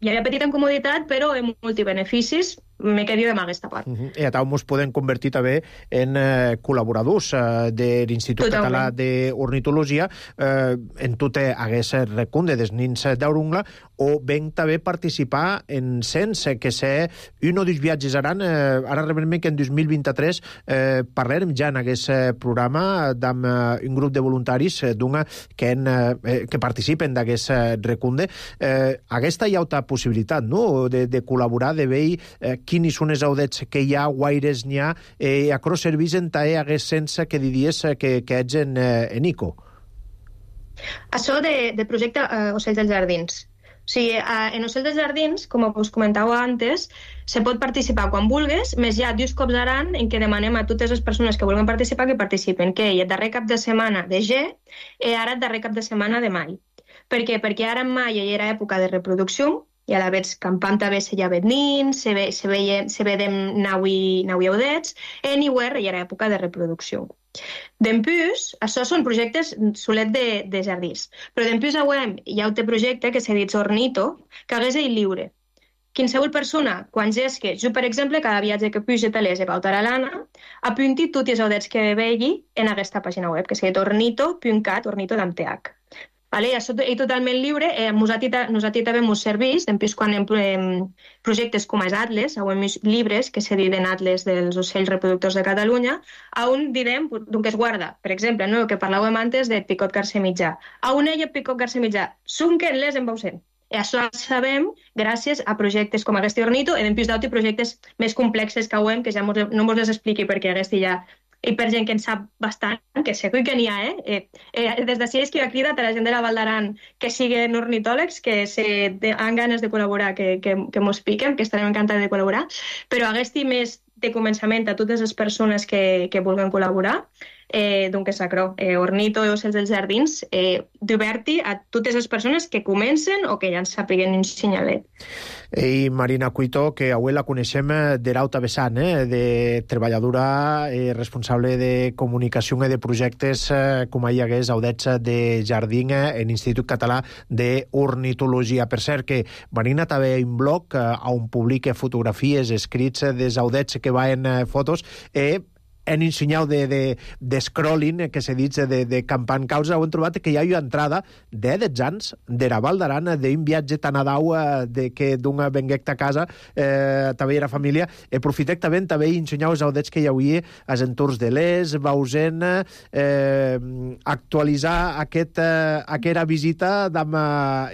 D: hi ha petita incomoditat, però amb multibeneficis, me quedo amb aquesta part. Uh-huh. I a tal mos podem convertir també en eh, col·laboradors eh, de l'Institut Català d'Ornitologia eh, en tot hagués recunde dels nins d'aurungla, o ben també participar en cens, que sé un o dos viatges aran, eh, ara realment que en dos mil vint-i-tres eh, parlarem ja en aquest programa amb eh, un grup de voluntaris eh, d'una que, en, eh, que participen d'aquest eh, recunde. Eh, aquesta hi ha altra possibilitat, no?, de, de col·laborar, de veure eh, quins són els audets que hi ha, guaires n'hi ha, eh, a cross servís en tae hagués sense que diries que, que ets en, eh, en I C O. Això de, de projecte eh, Ocells dels Jardins. O sigui, eh, en Ocells dels Jardins, com us comentava antes, se pot participar quan vulguis, més hi ha dos cops l'any en què demanem a totes les persones que vulguin participar que participen, que el darrer cap de setmana de G i ara el darrer cap de setmana de mai. Per què? Perquè ara en mai hi era època de reproducció, i a la vegada campam també se ja ved nins, se, ve, se, veie, se vedem naui, naui audets, i en Iwer hi era època de reproducció. D'empús, això són projectes solet de, de jardins, però d'empús hi ha un projecte que s'ha dit Ornito, que hagués ell lliure. Qualsevol persona, quan gesque, jo, per exemple, cada viatge que puja talès i pautar a l'Anna, apunti tots els audets que vegi en aquesta pàgina web, que s'ha dit ornito punt cat, ornito amb T H. Vale, això és totalment lliure. Eh, nosaltres, nosaltres també ens serveix, després quan hem eh, projectes com els Atles, o hem llibres que se diuen Atles dels ocells reproductors de Catalunya, on direm d'on es guarda. Per exemple, no, el que parlàvem antes de picot garcer mitjà. A on hi ha picot garcer mitjà? Són que les en Bausen. I això sabem gràcies a projectes com aquest Ornito i després d'altres projectes més complexes que ho hem, que ja mos, no ens les expliqui perquè aquest ja... i per gent que en sap bastant, que segur que n'hi ha, eh? eh, eh des d'ací és que jo cridat a la gent de la Val d'Aran que siguin ornitòlegs, que se han ganes de col·laborar, que, que, que mos piquen, que estarem encantats de col·laborar, però hagués-hi més de començament a totes les persones que, que vulguin col·laborar, eh, d'un que sacrò, eh, ornito i ocells dels jardins, eh, divertir a totes les persones que comencen o que ja ens sàpiguen ensenyar-les.
A: I Marina Cuito, que avui la coneixem de l'altra vessant, eh? de treballadora eh, responsable de comunicació i de projectes, eh, com hi hagués audets de jardí en l'Institut Català d'Ornitologia. Per cert, que Marina també ha un blog eh, on publica fotografies, escrits dels audets que van eh, fotos, eh, en un senyal de, de, de scrolling, que se dit de, de campant causa, ho hem trobat que hi ha una entrada de dotze anys de la Val d'Aran, d'un viatge tan a dau de que d'un venguec a casa, eh, també era família. Aprofitec també també ensenyar els audets que hi havia als entorns de l'Es, Bausen, eh, actualitzar aquest, eh, aquesta visita amb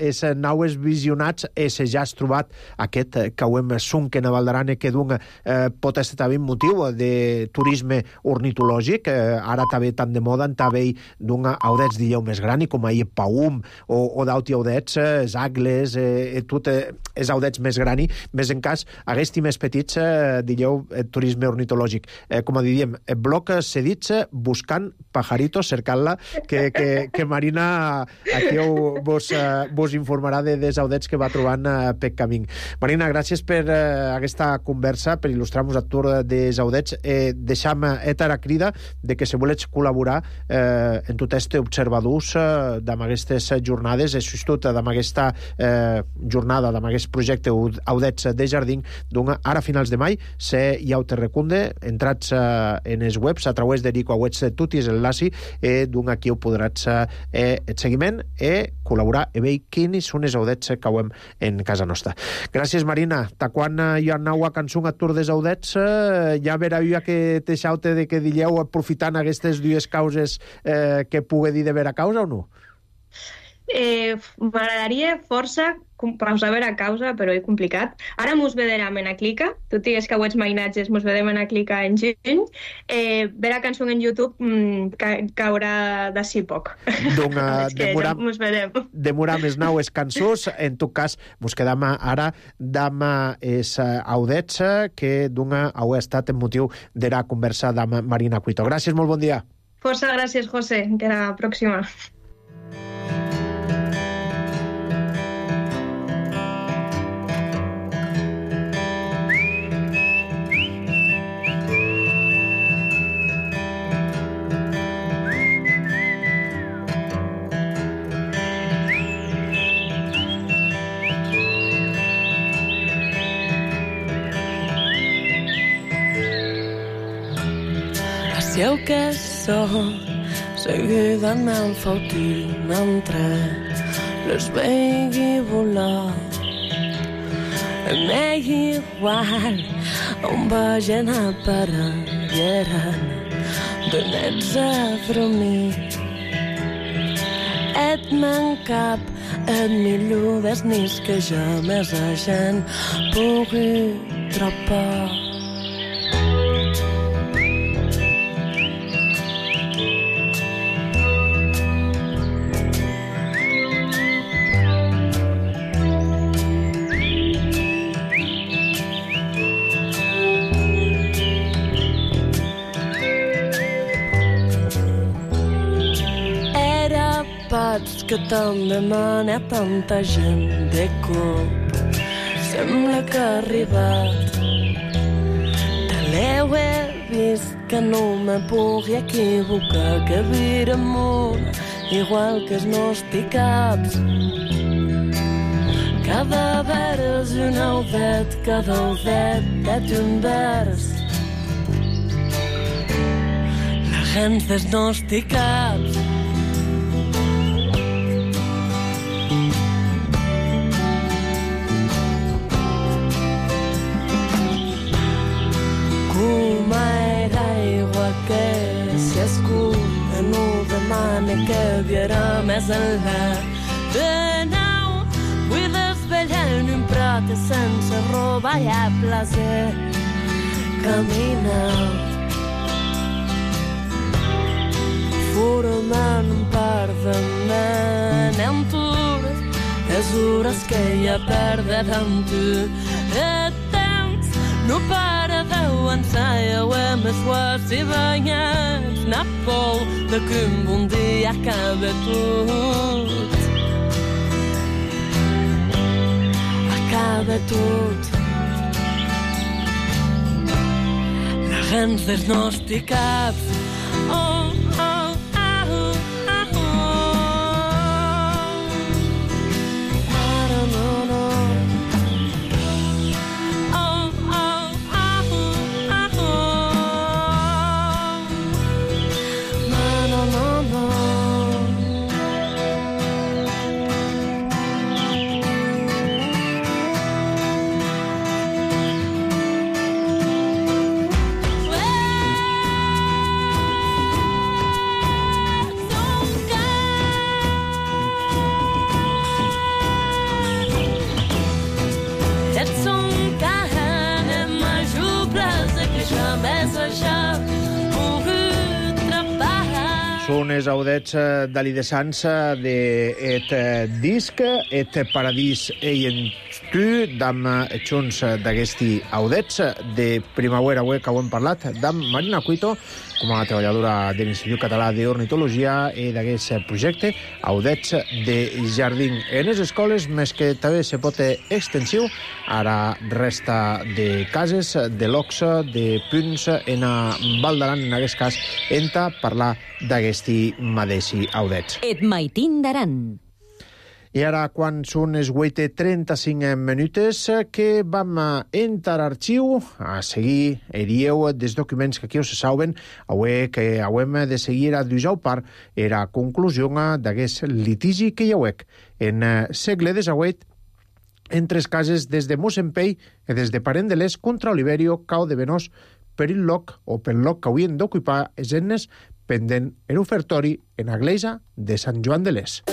A: els naues visionats, i se ja has trobat aquest que ho hem sunc en la Val d'Aran, que d'un eh, pot estar també un motiu de turisme ornitològic, eh, ara també tan de moda, també d'un audets dilleu més gran, i com ahir Paum, o, o d'altres audets, eh, els agles, eh, tot eh, els audets més grani, més en cas, aquests més petits, eh, dilleu eh, turisme ornitològic. Eh, com a diríem, el bloc cedits buscant pajaritos, cercant-la, que, que, que Marina aquí ho, vos, eh, vos informarà de, dels audets que va trobant eh, per camí. Marina, gràcies per eh, aquesta conversa, per il·lustrar-nos a tour dels audets. Eh, deixam eta la crida de que si volets col·laborar eh, en tot este observadors eh, d'amb aquestes jornades, i sobretot d'amb aquesta eh, jornada, d'amb aquest projecte audets de jardí, doncs ara a finals de mai se hi ha te recunde, entrats eh, en els webs a través de Rico Auets de tutis enlaci, eh, doncs aquí ho podràs eh, el seguiment i col·laborar i veure quins són els audets que ho hem en casa nostra. Gràcies, Marina. Ta quan hi ha nau a cançó a tour des audets, eh, ja verà jo que te xaute de que dilleu aprofitant aquestes dues causes eh, que pugui dir de vera causa o no?
D: Eh, M'agradaria força pausar vera causa, però és complicat. Ara mos vederam en a Clica, tot i que avui mainatges mos vedem en a Clica en juny. Eh, vera cançó en YouTube mm, ca caurà d'ací poc.
A: Donc, uh,
D: demoram, ja mos vedem.
A: Demoram les naues cançons, en tot cas, mos quedam ara d'am es audets que d'un heu estat en motiu de la conversa d'am Marina Cuito. Gràcies, molt bon dia.
D: Força gràcies, José, que la pròxima.
E: Dieu que sóc seguida el meu fautil mentre les vegi volar. M'és igual on vagin aparegueren de nets a dormir. Et mancap et millor des nis que jamais a gent pugui tropar. Que tant demana tanta gent de cop. Sembla que ha arribat. De l'eu he vist que no me pugui equivocar, que vira amunt, igual que els nosticaps. Cada vers un audet, cada audet és un vers. La gent dels nosticaps. Que viurà més enllà de nou. Vull desvetllar en un prat sense roba i a placer caminar formant un parlament en tur les hores que hi ha perdet amb tu. El temps no para de ensaia o é mais forte e banhas na pol de que um dia acaba tudo. Acaba tudo. Narramos dels nostres caps. Oh, oh, oh, oh, oh. No, no, no. Oh, oh, oh, oh, oh. No, no, no, no.
A: Són els audets d'Ali de Sans d'et disc, et paradís ei en tu, dam junts d'aquesti audets de primavera web que ho hem parlat, dam Marina Cuito, com a treballadora de l'Institut Català d'Ornitologia i d'aquest projecte, audets de jardí en les escoles, més que també se pot extensiu, ara resta de cases, de locs, de punts en a Val d'Aran, en aquest cas, enta parlar d'aquesti mateixi audets.
B: Et maitin d'Aran.
A: I ara, quan són les vuit i trenta-cinc minutes, que vam entrar a arxiu a seguir erieu dels documents que aquí us saben, avui que hauem de seguir a dujau part era conclusió d'aquest litigi que hi hauec en segle desavuit entre les cases des de Mossempell i des de Parent de l'Est contra Oliverio Cau de Benós per el loc o pel loc que haurien d'ocupar els ennes pendent l'ofertori en l'església de Sant Joan de l'Est.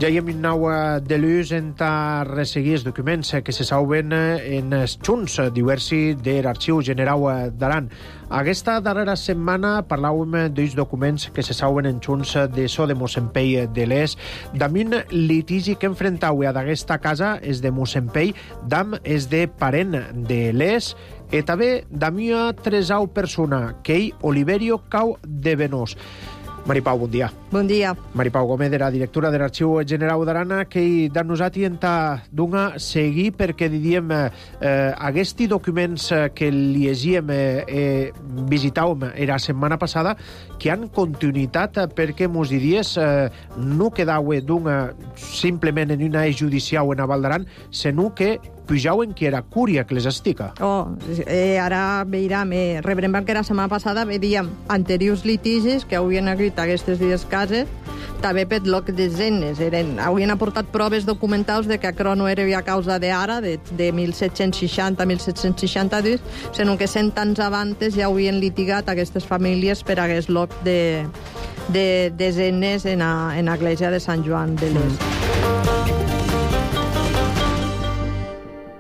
A: Ja hi hem nau de l'ús en ta resseguir els documents que se saben en els junts diversi de l'Arxiu General d'Aran. Aquesta darrera setmana parlàvem dels documents que se saben en junts de so de Mossempell de l'Est, d'am un litigi que enfrentau a d'aquesta casa és de Mossempell, d'am és de Parent de l'Est, i també d'am una tresau persona, que ell Oliverio Cau de Benós. Maripau, bon dia.
F: Bon dia.
A: Maripau Gómez, era directora de l'Arxiu General d'Arana, que de nosaltres enta d'una seguir perquè diríem eh, aquests documents que llegíem eh, eh, visitàvem la setmana passada, que han continuïtat perquè mos diries eh, no quedau d'una simplement en una judicial en a Val d'Aran, sinó que pujauen que era cúria que les estica.
F: Oh, eh, ara veiem, eh, rebrem que la setmana passada veiem anteriors litigis que haurien agrit aquestes dues cases, també per loc de zenes. Eren, haurien aportat proves documentals de que aquero no era a causa d'ara, de, de mil set-cents seixanta a mil set-cents seixanta-dos, sinó que cent anys abans ja haurien litigat aquestes famílies per aquest loc de, de, de zenes en l'església de Sant Joan de l'Est. Mm.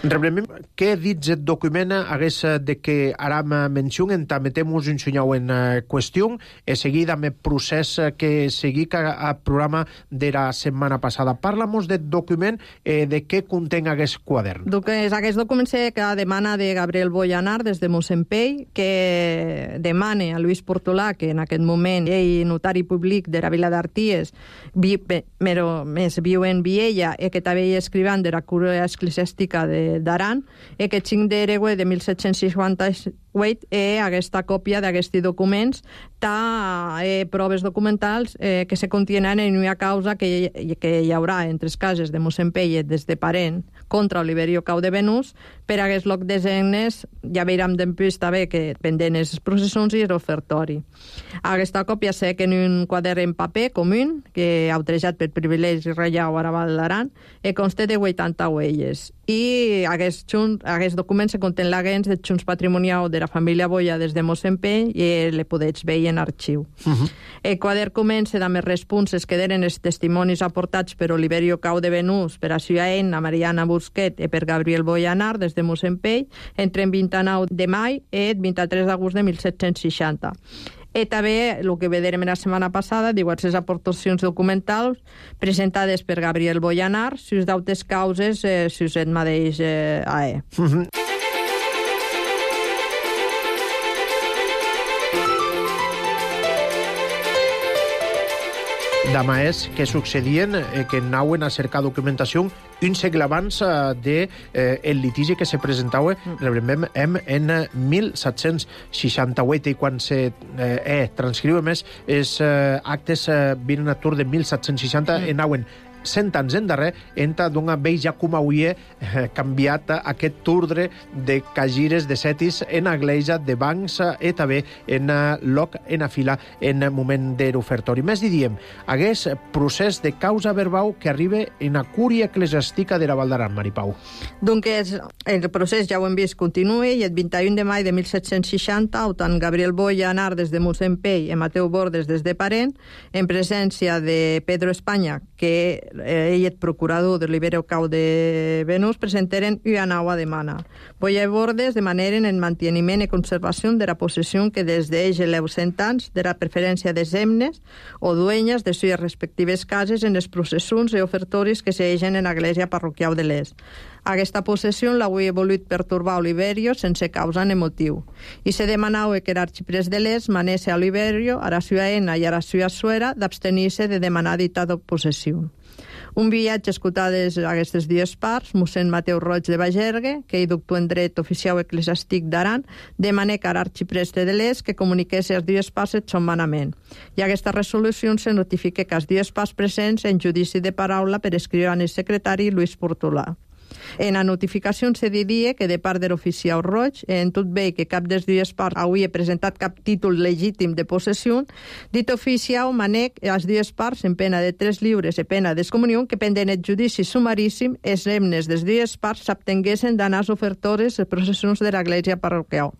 A: Rebremem què dits el document hagués de que aram mencionen, també temos un senyau en qüestió, e seguida amb el procés que seguic al programa de la setmana passada. Parla-mos del document eh, de què conten aquest quadern.
F: És aquest document que demana de Gabriel Boyanar des de Mossempell, que demana a Lluís Portolà, que en aquest moment ell notari públic de la vila d'Arties, vi, però més viu en Viella, i que també hi escrivant de la cura eclesiàstica de d'Aran, e que cinc d'Eregue de mil set-cents cinquanta-vuit e aquesta còpia d'aquests documents ta eh, proves documentals eh, que se contenen en una causa que, que hi haurà entre les cases de Mossempell des de Parent contra Oliverio Cau de Benús per a aquest loc de zegnes. Ja veurem després també que pendent els processons i l'ofertori. Aquesta còpia sé que en un quadern en paper comú que autoritzat per privilegi reial a Val d'Aran e consta de vuitanta huelles. I aquest, xun, aquest document se contén l'agents del Junts Patrimonial de de la família Boia des de Mossempell i le podets veure en arxiu. Uh-huh. El quadern comença amb els responses que eren els testimonis aportats per Oliverio Cau de Venús, per a Suaena, Mariana Busquet i per Gabriel Boyanar des de Mossempell entre el vint-i-nou de maig i el vint-i-tres d'agost de mil set-cents seixanta. I també, el que veurem la setmana passada, diverses aportacions documentals presentades per Gabriel Boyanar, sus d'autes causes, eh, sus el mateix eh, A E. Uh-huh.
A: Dama és que succedien eh, que anaven a cercar documentació un segle abans eh, de eh, el litigi que se presentava mm. en, en mil set-cents seixanta-vuit i quan se eh, eh, transcriu més els eh, actes eh, vinen a tur de mil set-cents seixanta mm. anaven cent anys endarrer, enta d'una veja com avui eh, canviat aquest turdre de cagires de setis en agleja de bancs i també en loc en a fila en moment de l'ofertori. Més diríem, hagués procés de causa verbal que arriba en a cúria eclesiàstica de la Val d'Aran, Maripau.
F: Doncs el procés, ja ho hem vist, continua i el vint-i-un de maig de mil set-cents seixanta, tant Gabriel Boyanar des de Mossempell i Mateu Bordes des de Parent, en presència de Pedro Espanya, que ell és procurador de l'Oliverio Cau de Venús, presentaren una nova demanda. Boia i Bordes demanaren el manteniment i conservació de la possessió que des d'ells eleu cent anys de la preferència de zemnes o duenyes de sues respectives cases en els processions i ofertoris que s'eixen en l'església parroquial de l'Est. Aquesta possessió l'havia volut pertorbar Oliverio sense causa ni motiu. I se demanava que l'arxiprés de l'Est manés a Oliverio, a la Suaena i a la sua suera d'abstenir-se de demanar dita possessió. Un viatge escoltades aquestes dues parts, mossèn Mateu Roig de Bagergue, que hi doctor en dret oficial eclesiàstic d'Aran, demana que l'arxipreste de l'Est que comuniqués a les dues parts el son manament. I aquesta resolució se notifica que les dues parts presents en judici de paraula per escriure al secretari Luis Portolà. En la notificació se diria que de part de l'oficial Roig, en tot bé que cap dels dues parts havia presentat cap títol legítim de possessió, dit oficial manec a les dues parts en pena de tres lliures i pena d'excomunió que pendent el judici sumaríssim els remnes des dues parts s'abtenguessin d'anar als ofertores les processions de l'església parroquial.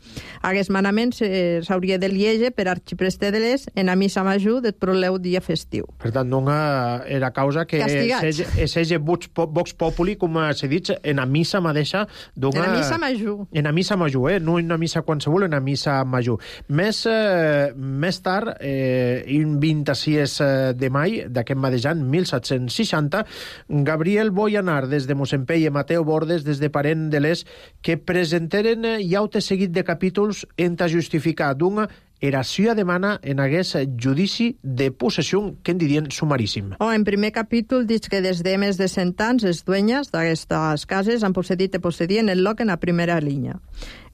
F: Aquest manament s'hauria de liege per arxipreste de l'Est en la missa major del proleu dia festiu.
A: Per tant, no era causa que és ege vox populi, com s'ha dit, en la missa mateixa d'una...
F: En la missa major.
A: En la missa major, eh? No en una missa qualsevol, en la missa major. Més, eh, més tard, eh, el vint-i-sis de maig d'aquest mateix any, mil set-cents seixanta, Gabriel Boyanar des de Mossempell i Mateu Bordes des de Parent de l'Est, que presentaren ja un seguit de capítols en ta justificar d'una era sua demana en hagués judici de possessió que en dirien sumaríssim.
F: Oh, en primer capítol dic que des de més de cent anys els duenyes d'aquestes cases han possedit i possedien el lloc en la primera línia.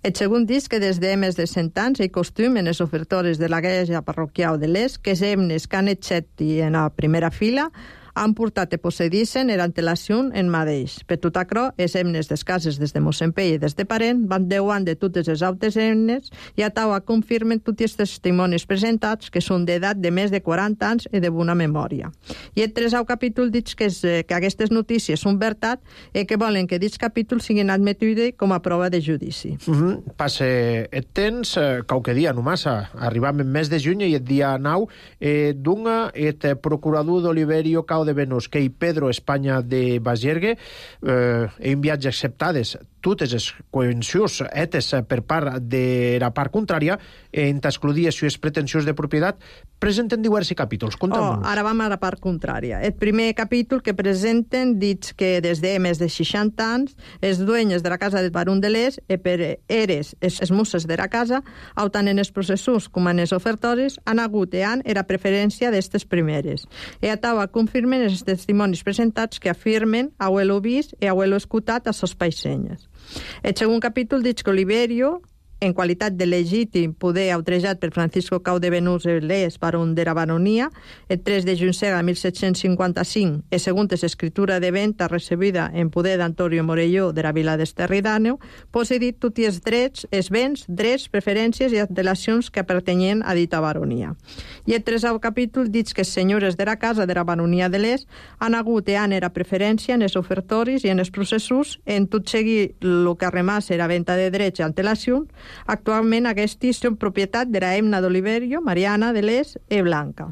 F: El segon dic que des de més de cent anys hi costum en els ofertores de l'església parroquial de l'Est que els emnes que han excepti en la primera fila han portat i possedissin en antelació en mateix. Per tot això, els emnes des cases des de Mossempell i des de Parent van deuant de totes les altres emnes i a taua confirmen tots els testimonis presentats que són d'edat de més de quaranta anys i de bona memòria. I el tresau capítol dic que, és, que aquestes notícies són veritat i que volen que aquests capítols siguin admetudes com a prova de judici.
A: Mm-hmm. Passe el temps, eh, qualque dia només, arribam en mes de juny i el dia nou, eh, d'un el procurador d'Oliverio Cau de Venús, que hi Pedro Espanya de Bagergue, eh, en viatge acceptades totes les convencions etes per part de la part contrària en t'excludir les seves pretensions de propietat, presenten diversos capítols.
F: Oh, ara vam a la part contrària. El primer capítol que presenten dic que des de més de seixanta anys els dueños de la casa del barón de l'Est i per eres els mosses de la casa, tant en els processos com en els ofertoris, han hagut i han era preferència d'estes primeres. I a taua confirmen els testimonis presentats que afirmen haver-lo vist i haver-lo escoltat a sos paixenyes. El segon capítol dic que Oliverio, en qualitat de legítim poder outrejat per Francisco Cau de Venús l'Est, barón de la baronia, el tres de juny de mil set-cents cinquanta-cinc, i segons l'escriptura de venda recebida en poder d'Antonio Morelló de la vila d'Esterridàneu, possedit tots els drets, els béns, drets, preferències i antelacions que pertanyien a dita baronia. I el tresau capítol dic que els senyores de la casa de la baronia de l'Est han hagut i han era preferència en els ofertoris i en els processos en tot seguir el que arremassa era venda de drets i antelacions, Actualment aquests són propietat de la Emna d'Oliverio, Mariana de Les e Blanca.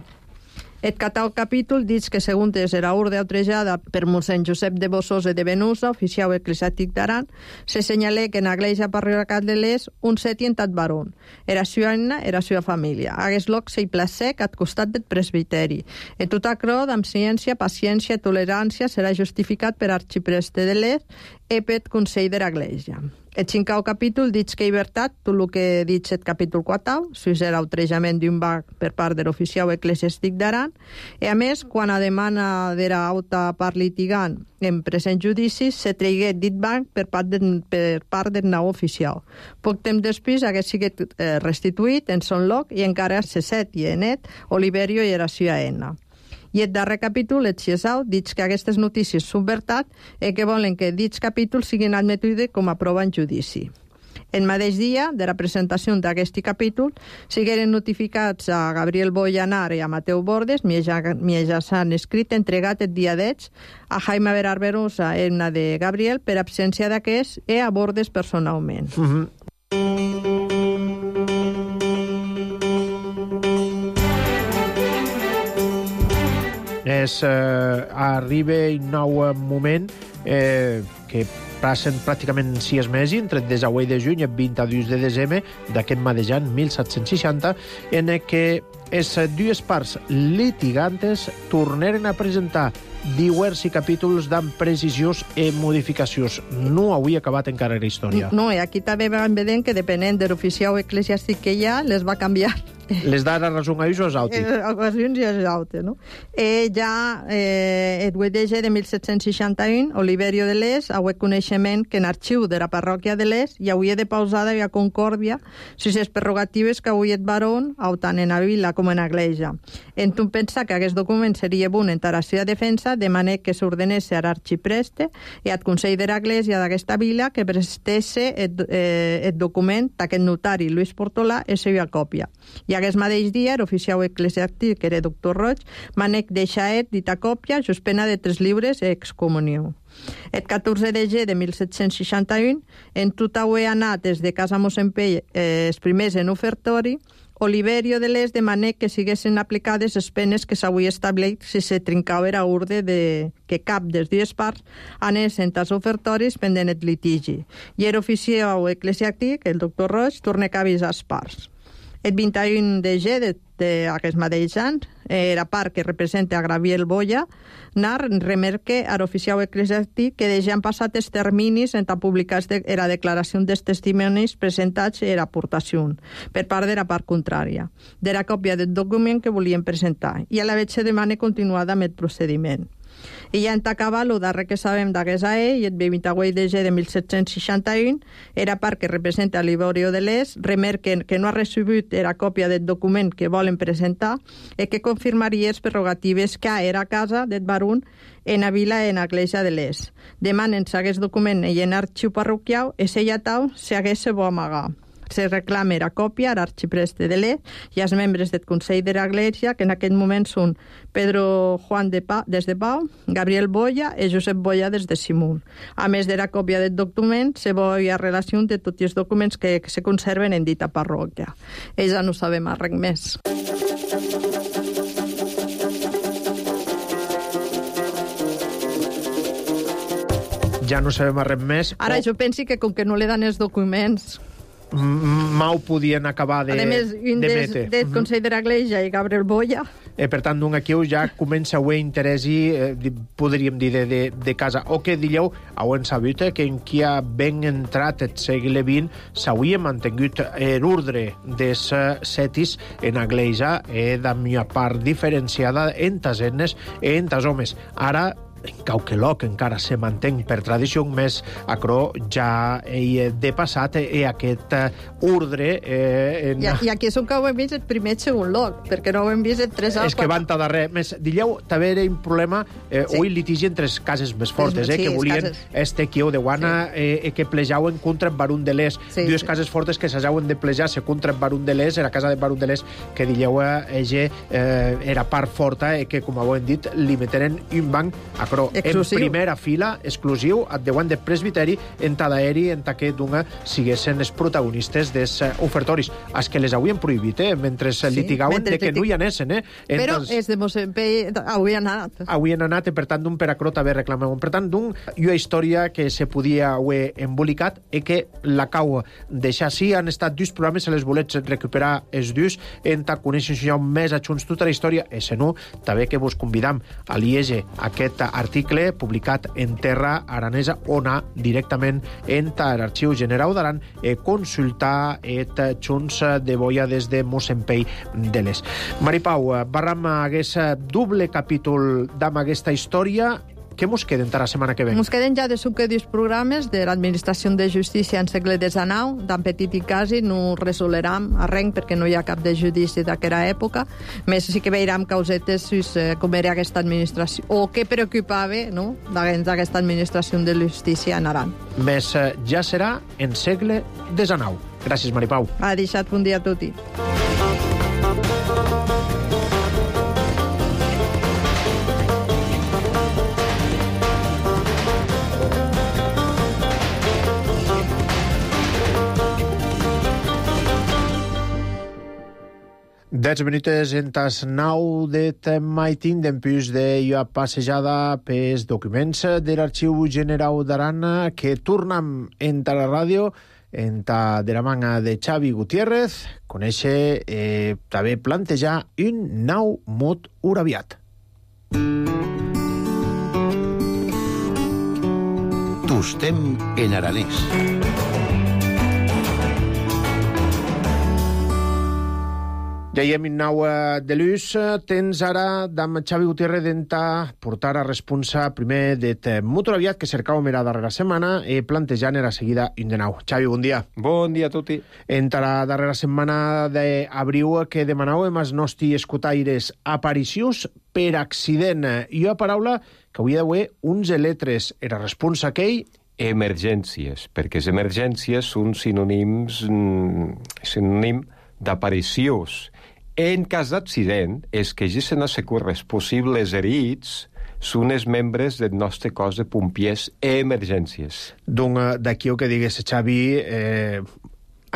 F: Et catau capítol dic que segons era orde outrejada per mossèn Josep de Bossós de Venusa, oficial eclesiàstic d'Aran, se senyalé que en l'Església parroquial de Les un seti entat baron. Era sua Anna, era sua família. Hagués loc sei placec at costat del presbiteri. E tot acrò, amb ciència, paciència i tolerància, serà justificat per arxipreste de Les e per Consell de l'Església. El cinquè capítol dic que llibertat, tot el que dic el capítol quatre, si era outrejament d'un banc per part de l'oficial eclesiàstic d'Aran, i a més, quan a demana de l'auta part litigant en present judici, se tregué dit banc per part, de, per part del nou oficial. Poc temps després hagués sigut eh, restituït en son lloc i encara se set i enet Oliverio i era sua Enna. I el darrer capítol, el Xiesau, dic que aquestes notícies són veritat i que volen que dits capítols siguin admetudes com a prova en judici. El mateix dia de la presentació d'aquest capítol, sigueren notificats a Gabriel Boyanar i a Mateu Bordes, mitjançant escrit entregat el dia deu a Jaime Berarberosa, Emna de Gabriel, per absència d'aquest i a Bordes personalment.
A: Mm-hmm. És, eh, arriba un nou moment eh, que passen pràcticament sis mesos, entre el disset de juny i el vint-i-dos de desembre d'aquest mateix any, mil set-cents seixanta, en què les dues parts litigantes tornaren a presentar diversos capítols amb precisions i modificacions. No havia acabat encara la història.
F: No, i aquí també vam veient que depenent de l'oficial eclesiàstic que hi ha, les va canviar.
A: Les dara raó a ells o als altres?
F: A ocasions i als altres, no? Eh, ja, eh, el vuit de gener de mil set-cents seixanta-un, Oliverio de Les ha hagut coneixement que en arxiu de la parròquia de Les hi hauria de pausada i a Concòrdia si les prerrogatives que avui et baron, tant en la vila com en l'església. En tu pensar que aquest document seria bon en la seva defensa, de manera que s'ordenés a l'arxipreste i al Consell de l'Església d'aquesta vila que prestesse el, eh, el document d'aquest notari, Luis Portolà, i la seva còpia. I aquest mateix dia, l'oficial eclesiàstic, que era doctor Roig, manec deixar dita còpia, just pena de tres lliures i excomunió. El catorze de gener de mil set-cents seixanta-un, en tot ho he anat des de casa mossèn Pell eh, els primers en ofertori, Oliverio de Les demanà que siguessin aplicades les penes que s'havia establert si se trincava era orde de que cap dels dues parts anessin als ofertoris pendent el litigi. I era oficial eclesiàstic, el doctor Roig, torna a avisar les parts. El vint-i-un de gener d'aquest mateix any, la part que representa a Gabriel Boya, nar remarca a l'oficial eclesiàstic que deixen passat els terminis en publicar la declaració dels testimonis presentats i l'aportació per part de la part contrària, de la còpia del document que volien presentar, i a la vegada se demana continuada amb el procediment. I ja en t'acaba el darrer que sabem d'aquest A E, i el vint-i-vuit de gener de mil set-cents seixanta-un, era part que representa l'Oliverio de Les, remarca que no ha recibit la còpia del document que volen presentar i que confirmaria les prerrogatives que era a casa del baron en la vila en l'església de Les. Demanen si aquest document i en arxiu parroquial i si ja tau si hagués se bo amagar. Se reclama la còpia a l'arxipreste de Les i als membres del Consell de l'Església, que en aquest moment són Pedro Juan de Pau, des de Pau, Gabriel Boya i Josep Boya des de Simón. A més de la còpia del document, se veia relació de tots els documents que, que se conserven en dita parròquia. I ja no sabem res més.
A: Ja no sabem res més.
F: Ara, jo penso que com que no li dan els documents...
A: Mau podien acabar de,
F: a més, un
A: de
F: des,
A: mete.
F: del Consell de l'Església i Gabriel Boya.
A: Eh, per tant, d'un aquí ja comença a haver interès i, eh, podríem dir, de, de, de casa. O que dieu, heu sabut eh, que en qui ha ben entrat el segle vint s'hauria mantingut l'ordre dels setis en l'Església eh, de una part diferenciada entre les dones i entre els homes. Ara, en Cauqueloc encara se mantenc per tradició, més acrò ja he de passat i aquest ordre... Eh, en...
F: I, I aquí és on que ho hem vist el primer i segon lloc, perquè no ho hem vist el tres al
A: És que van a darrer. Més, dilleu, també era un problema, eh, sí. Oi litigi entre les cases més fortes, eh, sí, que volien este quiu de guana sí. eh, que plejaven contra el Barón de Les. Sí, Dues sí. cases fortes que s'hajaven de plejar-se contra el Barón de Les, era casa del Barón de Les, que dilleu, ella eh, era part forta i que, com ho hem dit, li meteren un banc a però
F: exclusiu.
A: En primera fila, exclusiu, at deuen de presbiteri, en tadaeri, en taquet d'una, siguessin els protagonistes des ofertoris. Els que les havien prohibit, eh? Mentre sí, litigaven de que no hi anessen, eh?
F: Però és de Mossèn Pei, avui han anat.
A: Avui han anat, per tant, d'un per acrot haver reclamat. Per tant, d'un, i una història que se podia haver embolicat i que la cau deixar sí, han estat dos programes, se les volets recuperar els dos, en ta conèixer ja més a junts tota la història, i se no, també que vos convidam a llegir aquest article publicat en Terra Aranesa, on ha directament en l'Arxiu General d'Aran eh, consultar et junts de boia des de Mossèn Pei de l'Est. Mari Pau, barram hagués doble capítol d'am aquesta història. Què mos queden per la setmana que ve?
F: Mos queden ja de suc dos programes de l'Administració de Justícia en segle desanau, d'en petit i quasi, no resoleram arrenc perquè no hi ha cap de judici d'aquella època. Més sí que veiram causetes com era aquesta administració, o què preocupava, no?, d'aquesta administració de justícia en Aran.
A: Més ja serà en segle desanau. Gràcies, Mari Pau.
F: Ha deixat bon dia a tutti.
A: Dez minuts en tas nau de temaitin d'empús de jo passejada pels documents de l'Arxiu General d'Aran que tornam en la ràdio en ta de la manga de Xavi Gutiérrez, conèixer eh, també plantejar un nou mot uraviat.
G: Tostem en aranès.
A: Ja hi hem un nou de l'ús. Tens ara, d'am Xavi Gutiérrez, d'enta portar a responsa primer de motor aviat que cercàvem era darrera setmana i plantejant era seguida un de nou. Xavi, bon dia.
C: Bon dia a tutti.
A: Entra la darrera setmana d'abriu que demanàvem als nostres escotaires aparicions per accident. I una paraula que hauria d'haver uns letres. Era responsa aquell...
H: Emergències, perquè les emergències són sinònims, sinònim d'aparicions. En cas d'accident, és que ja se n'ha secures possibles herits són els membres del nostre cos de pompiers emergències.
A: Doncs d'aquí el que digués Xavi... Eh...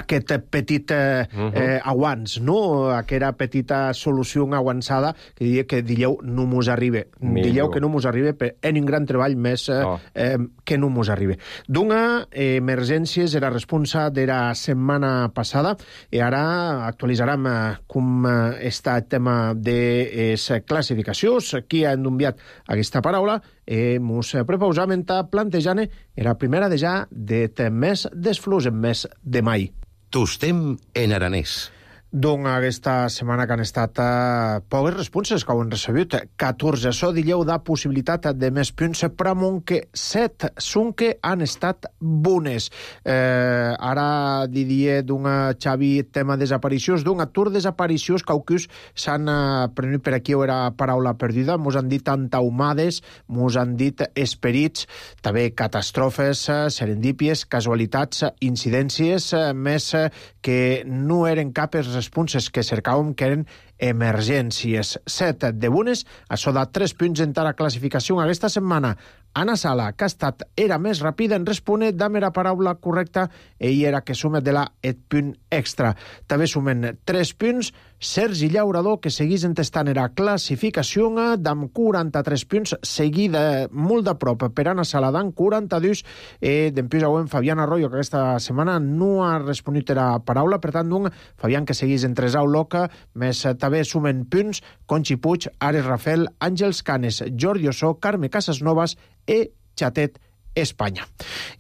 A: aquest petit eh, uh-huh. eh, aguants, no? Aquella petita solució aguançada que diria que dilleu no mos arriba. Dilleu que no mos arriba per en un gran treball més eh, oh. eh, que no mos arriba. D'una eh, emergències era responsa de la setmana passada i ara actualitzarem eh, com eh, està el tema de les classificacions. Qui ha enviat aquesta paraula eh, mos prepausam en ta plantejant era primera de ja de mes desflus en mes de mai.
G: Tostem en aranès.
A: Doncs aquesta setmana que han estat eh, poques responses que ho han recebut. catorze. Això dilleu da possibilitat de més punts, però que set són que han estat bones. Eh, ara diria d'una Xavi tema desaparicions, d'un atur desaparicions caucus s'han eh, prenut per aquí era paraula perduda, mos han dit antaumades, mos han dit esperits, també catastrofes, serendípies, casualitats, incidències, eh, més eh, que no eren cap responses que cercàvem que eren emergències. Set de bones, això da tres punts en la classificació aquesta setmana. Anna Sala, que ha estat era més ràpida en respondre d'am era paraula correcta, ell era que sumet de la et punt extra. També sumen tres punts Sergi Llaurador, que seguís entestant era classificació d'am quaranta-tres punts, seguida molt de prop per Anna Sala d'am quaranta-dos, i d'empús avui Fabián Arroyo, que aquesta setmana no ha responit era paraula, per tant, d'un Fabián que seguís entre Sau Loca, més també sumen punts Conxi Puig, Ares Rafel, Àngels Canes, Jordi Ossó, Carme Casasnovas e Xatet Espanya.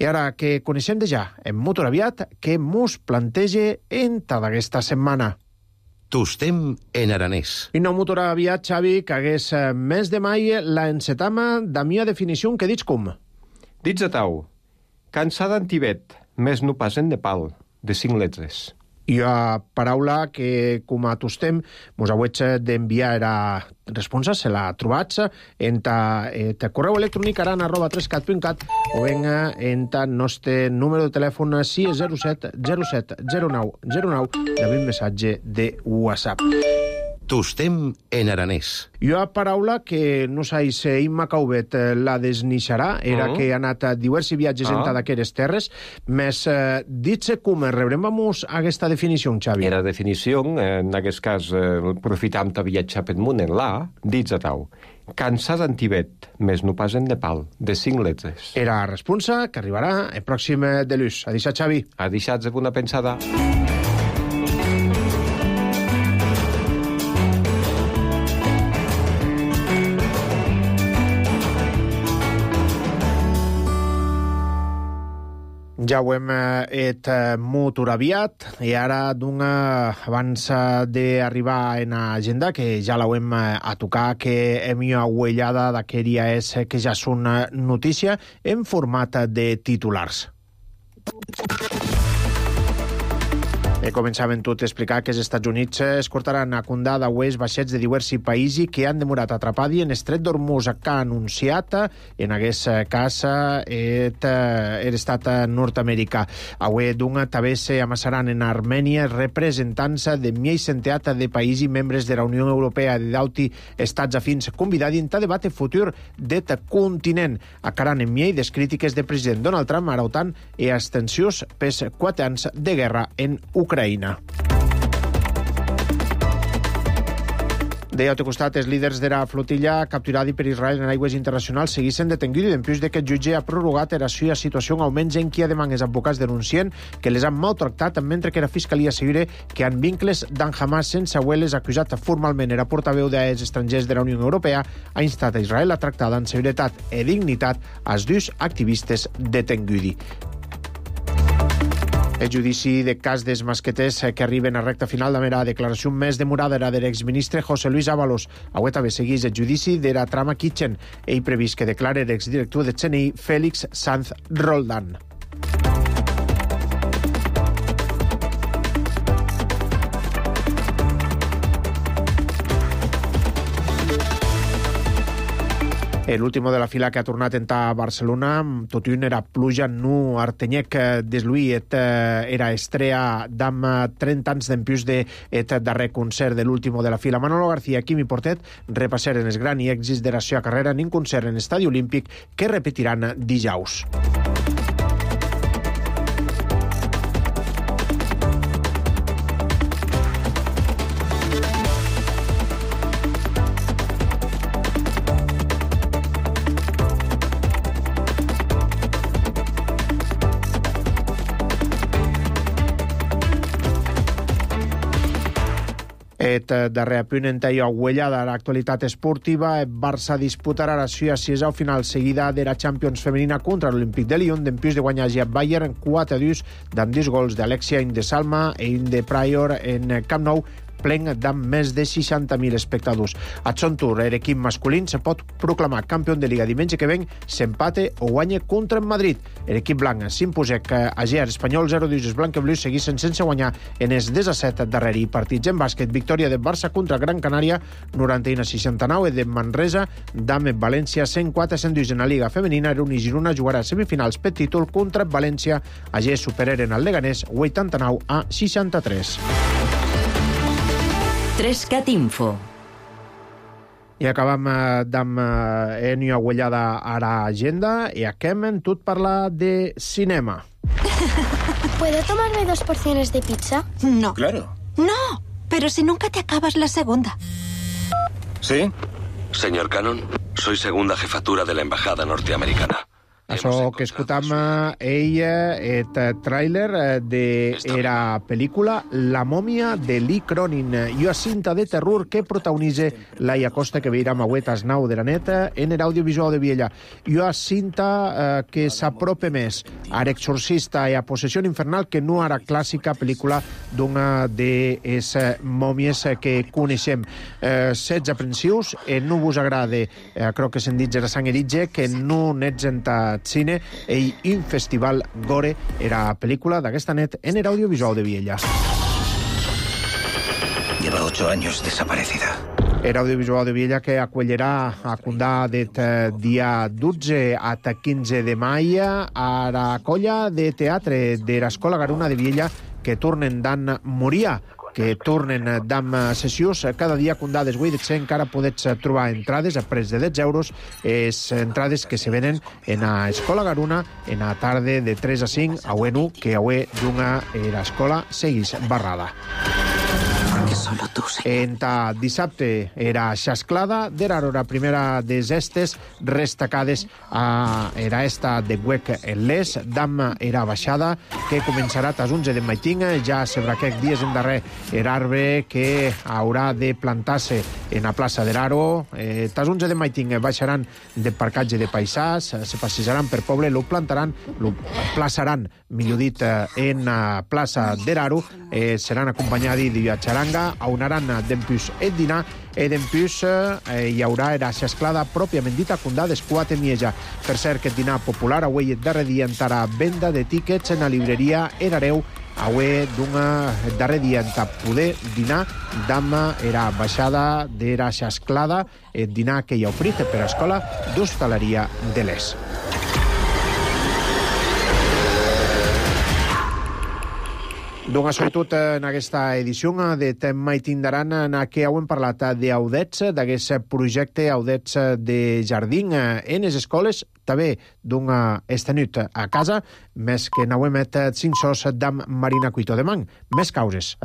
A: I ara que coneixem de ja en motor aviat que mos plantege en ta d'aquesta setmana.
G: Tostem en aranès.
A: I no motor aviat, Xavi, que hagués mes de mai la encetama da mia definició que dits com?
H: Dits a tau, cansada en Tibet, més no pas en Nepal, de cinc letres.
A: I a paraula que, com a tostem, mos hauets d'enviar era responsa, se la trobats en ta, eh, ta correu electrònic aran arroba trescat punt cat o venga en ta nostre número de telèfon sis zero set zero set zero nou zero nou i amb un missatge de WhatsApp.
G: Tostem en aranès.
A: Hi ha paraula que no sais Imma Cauvet la desnixarà, era
H: Mm.
A: que ha anat a diversos viatges
H: Ah.
A: enta d'aquestes terres, més eh, dit-se com rebrem-vos aquesta definició, Xavi.
H: Era definició, en aquest cas, eh, aprofitam de viatjar pel món en la, dits a tau. Cansat en Tibet, més no pas en Nepal, de cinc letres.
A: Era responsa que arribarà el pròxim de l'ús. A deixar, Xavi.
H: Ha deixat una pensada.
A: Ja ho hem et motor aviat i ara d'una abans d'arribar en agenda, que ja l'hem a tocar, que hem jo aguellada d'aquella és que ja són notícia en format de titulars. E començaven tot a explicar que els Estats Units escortaran a condar d'auers vaixets de diversos països que han demorat atrapadi en estret d'Hormuz, que ha anunciat en aquest cas et, er estat nord-americà. Avui d'un també s'amassaran en Armènia representants de miei centeat de països membres de la Unió Europea i d'alti estats afins convidats a debat el futur d'et continent. Acaran en miei des crítiques del president Donald Trump a l'OTAN i als tensions pels quatre anys de guerra en Ucraïna. Ucraïna. De l'altre costat, els líders de la flotilla capturada per Israel en aigües internacionals seguissin detenguts després de que el jutge ha prorrogat la seva situació almenys en qui demana els advocats denuncien que les han maltractat mentre que la fiscalia assegura que han vincles d'en Hamas sense haver-les acusat formalment. Era portaveu dels estrangers de la Unió Europea ha instat a Israel a tractar amb seguretat i dignitat als dos activistes detenguts. El judici de cas dels masqueters que arriben a recta final de la declaració més demorada era de l'exministre José Luis Ábalos. Avui també segueix el judici de la trama Kitchen. Ell previst que declare l'exdirector de C N I, Félix Sanz Roldán. L'último de la fila que ha tornat a Barcelona, tot i un era pluja, nu Artenyec desluït, era estrella d'am trenta anys d'empius d'et darrer concert de l'último de la fila. Manolo García, Quimi Portet repassaren els gran i èxits de la seva carrera en un concert en Estadi Olímpic que repetiran dijous. Et darrer apunt en teia aguellada a l'actualitat esportiva. El Barça disputarà la seva sisena final seguida de la Champions femenina contra l'Olímpic de Lyon, d'empius de guanyar a Bayern quatre a dos d'amb dos gols d'Alexia Indesalma i de Prior en Camp Nou, plen d'amb més de seixanta mil espectadors. A son tour, l'equip masculí se pot proclamar campió de Liga diumenge que ven, s'empate o guanya contra en Madrid. L'equip blanc s'imposà que a G Espanyol zero a dos els blanc-i-blues seguissin sense guanyar en els disset darreri partits. En bàsquet, victòria de Barça contra Gran Canària noranta-u a seixanta-nou i de Manresa d'amb València cent quatre a cent dos en la Liga femenina. Reuni Girona jugarà semifinals per títol contra València. A G superaren el Leganés vuitanta-nou a seixanta-tres.
B: Trescat Info.
A: I acabam d'amb Enio aguellada a l'agenda i acabem en tot parlar de cinema.
I: ¿Puedo tomarme dos porciones de pizza?
J: No.
K: Claro.
J: No, pero si nunca te acabas la segunda.
K: ¿Sí?
L: Señor Cannon, soy segunda jefatura de la embajada norteamericana.
A: Això que escoltam ella, et tràiler de la pel·lícula La mòmia de Lee Cronin, i una cinta de terror que protagonitza Laia Costa, que veurem avui a les nou de la nit en l'audiovisual de Viella. I una cinta eh, que s'apropa més a l'exorcista i a Possessió infernal que no a la clàssica pel·lícula d'una de les mòmies que coneixem. Eh, setze aprensius, eh, no vos agrada, eh, crec que se'n dit la sang eritge, que no n'ets en cine i un festival gore era pel·lícula d'aquesta net en el audiovisual de Viella.
K: Lleva ocho años desaparecida.
A: Era audiovisual de Viella que acollerà a Condà det dia dotze a quinze de maig a la colla de teatre de l'Escola Garuna de Viella que tornen d'en Moria. que tornen d'am sessions. Cada dia condades avui de ser encara podets trobar entrades a pres de deu euros, és entrades que se venen en a Escola Garuna en a tarda de tres a cinc, a Uenu, que avui d'una era escola seguís barrada.
M: Solo tú sé.
A: En ta dissabte era xasclada, d'era la primera des estes restacades a era esta de Huec en les, d'am era baixada, que començarà tas onze de matin, ja sobre aquests dies en darrer era arbre que haurà de plantar-se en la plaça d'Eraro. Eh, tas onze de matin baixaran de parcatge de paisàs, se passejaran per poble, lo plantaran, lo plaçaran, millor dit, en la plaça d'Eraro, eh, seran acompanyats de xaranga, aunaran dempús et dinar, e dempús eh, hi haurà era xasclada pròpiament dita, condades quatre mieja. Per cert, aquest dinar popular avui darrer dia entrarà venda de tíquets en la libreria Erareu, avui d'una darrer dia en poder dinar d'ama era baixada d'era xasclada, el dinar que hi ha ofrit per a escola d'hostaleria de l'Es. Doncs sobretot en aquesta edició de Tema i Tindaran, en què hem parlat d'Audets, d'aquest projecte Audets de jardín en les escoles, també d'una estenut a casa, més que n'hem met cinc sos d'am Marina Cuito de Man. Més causes.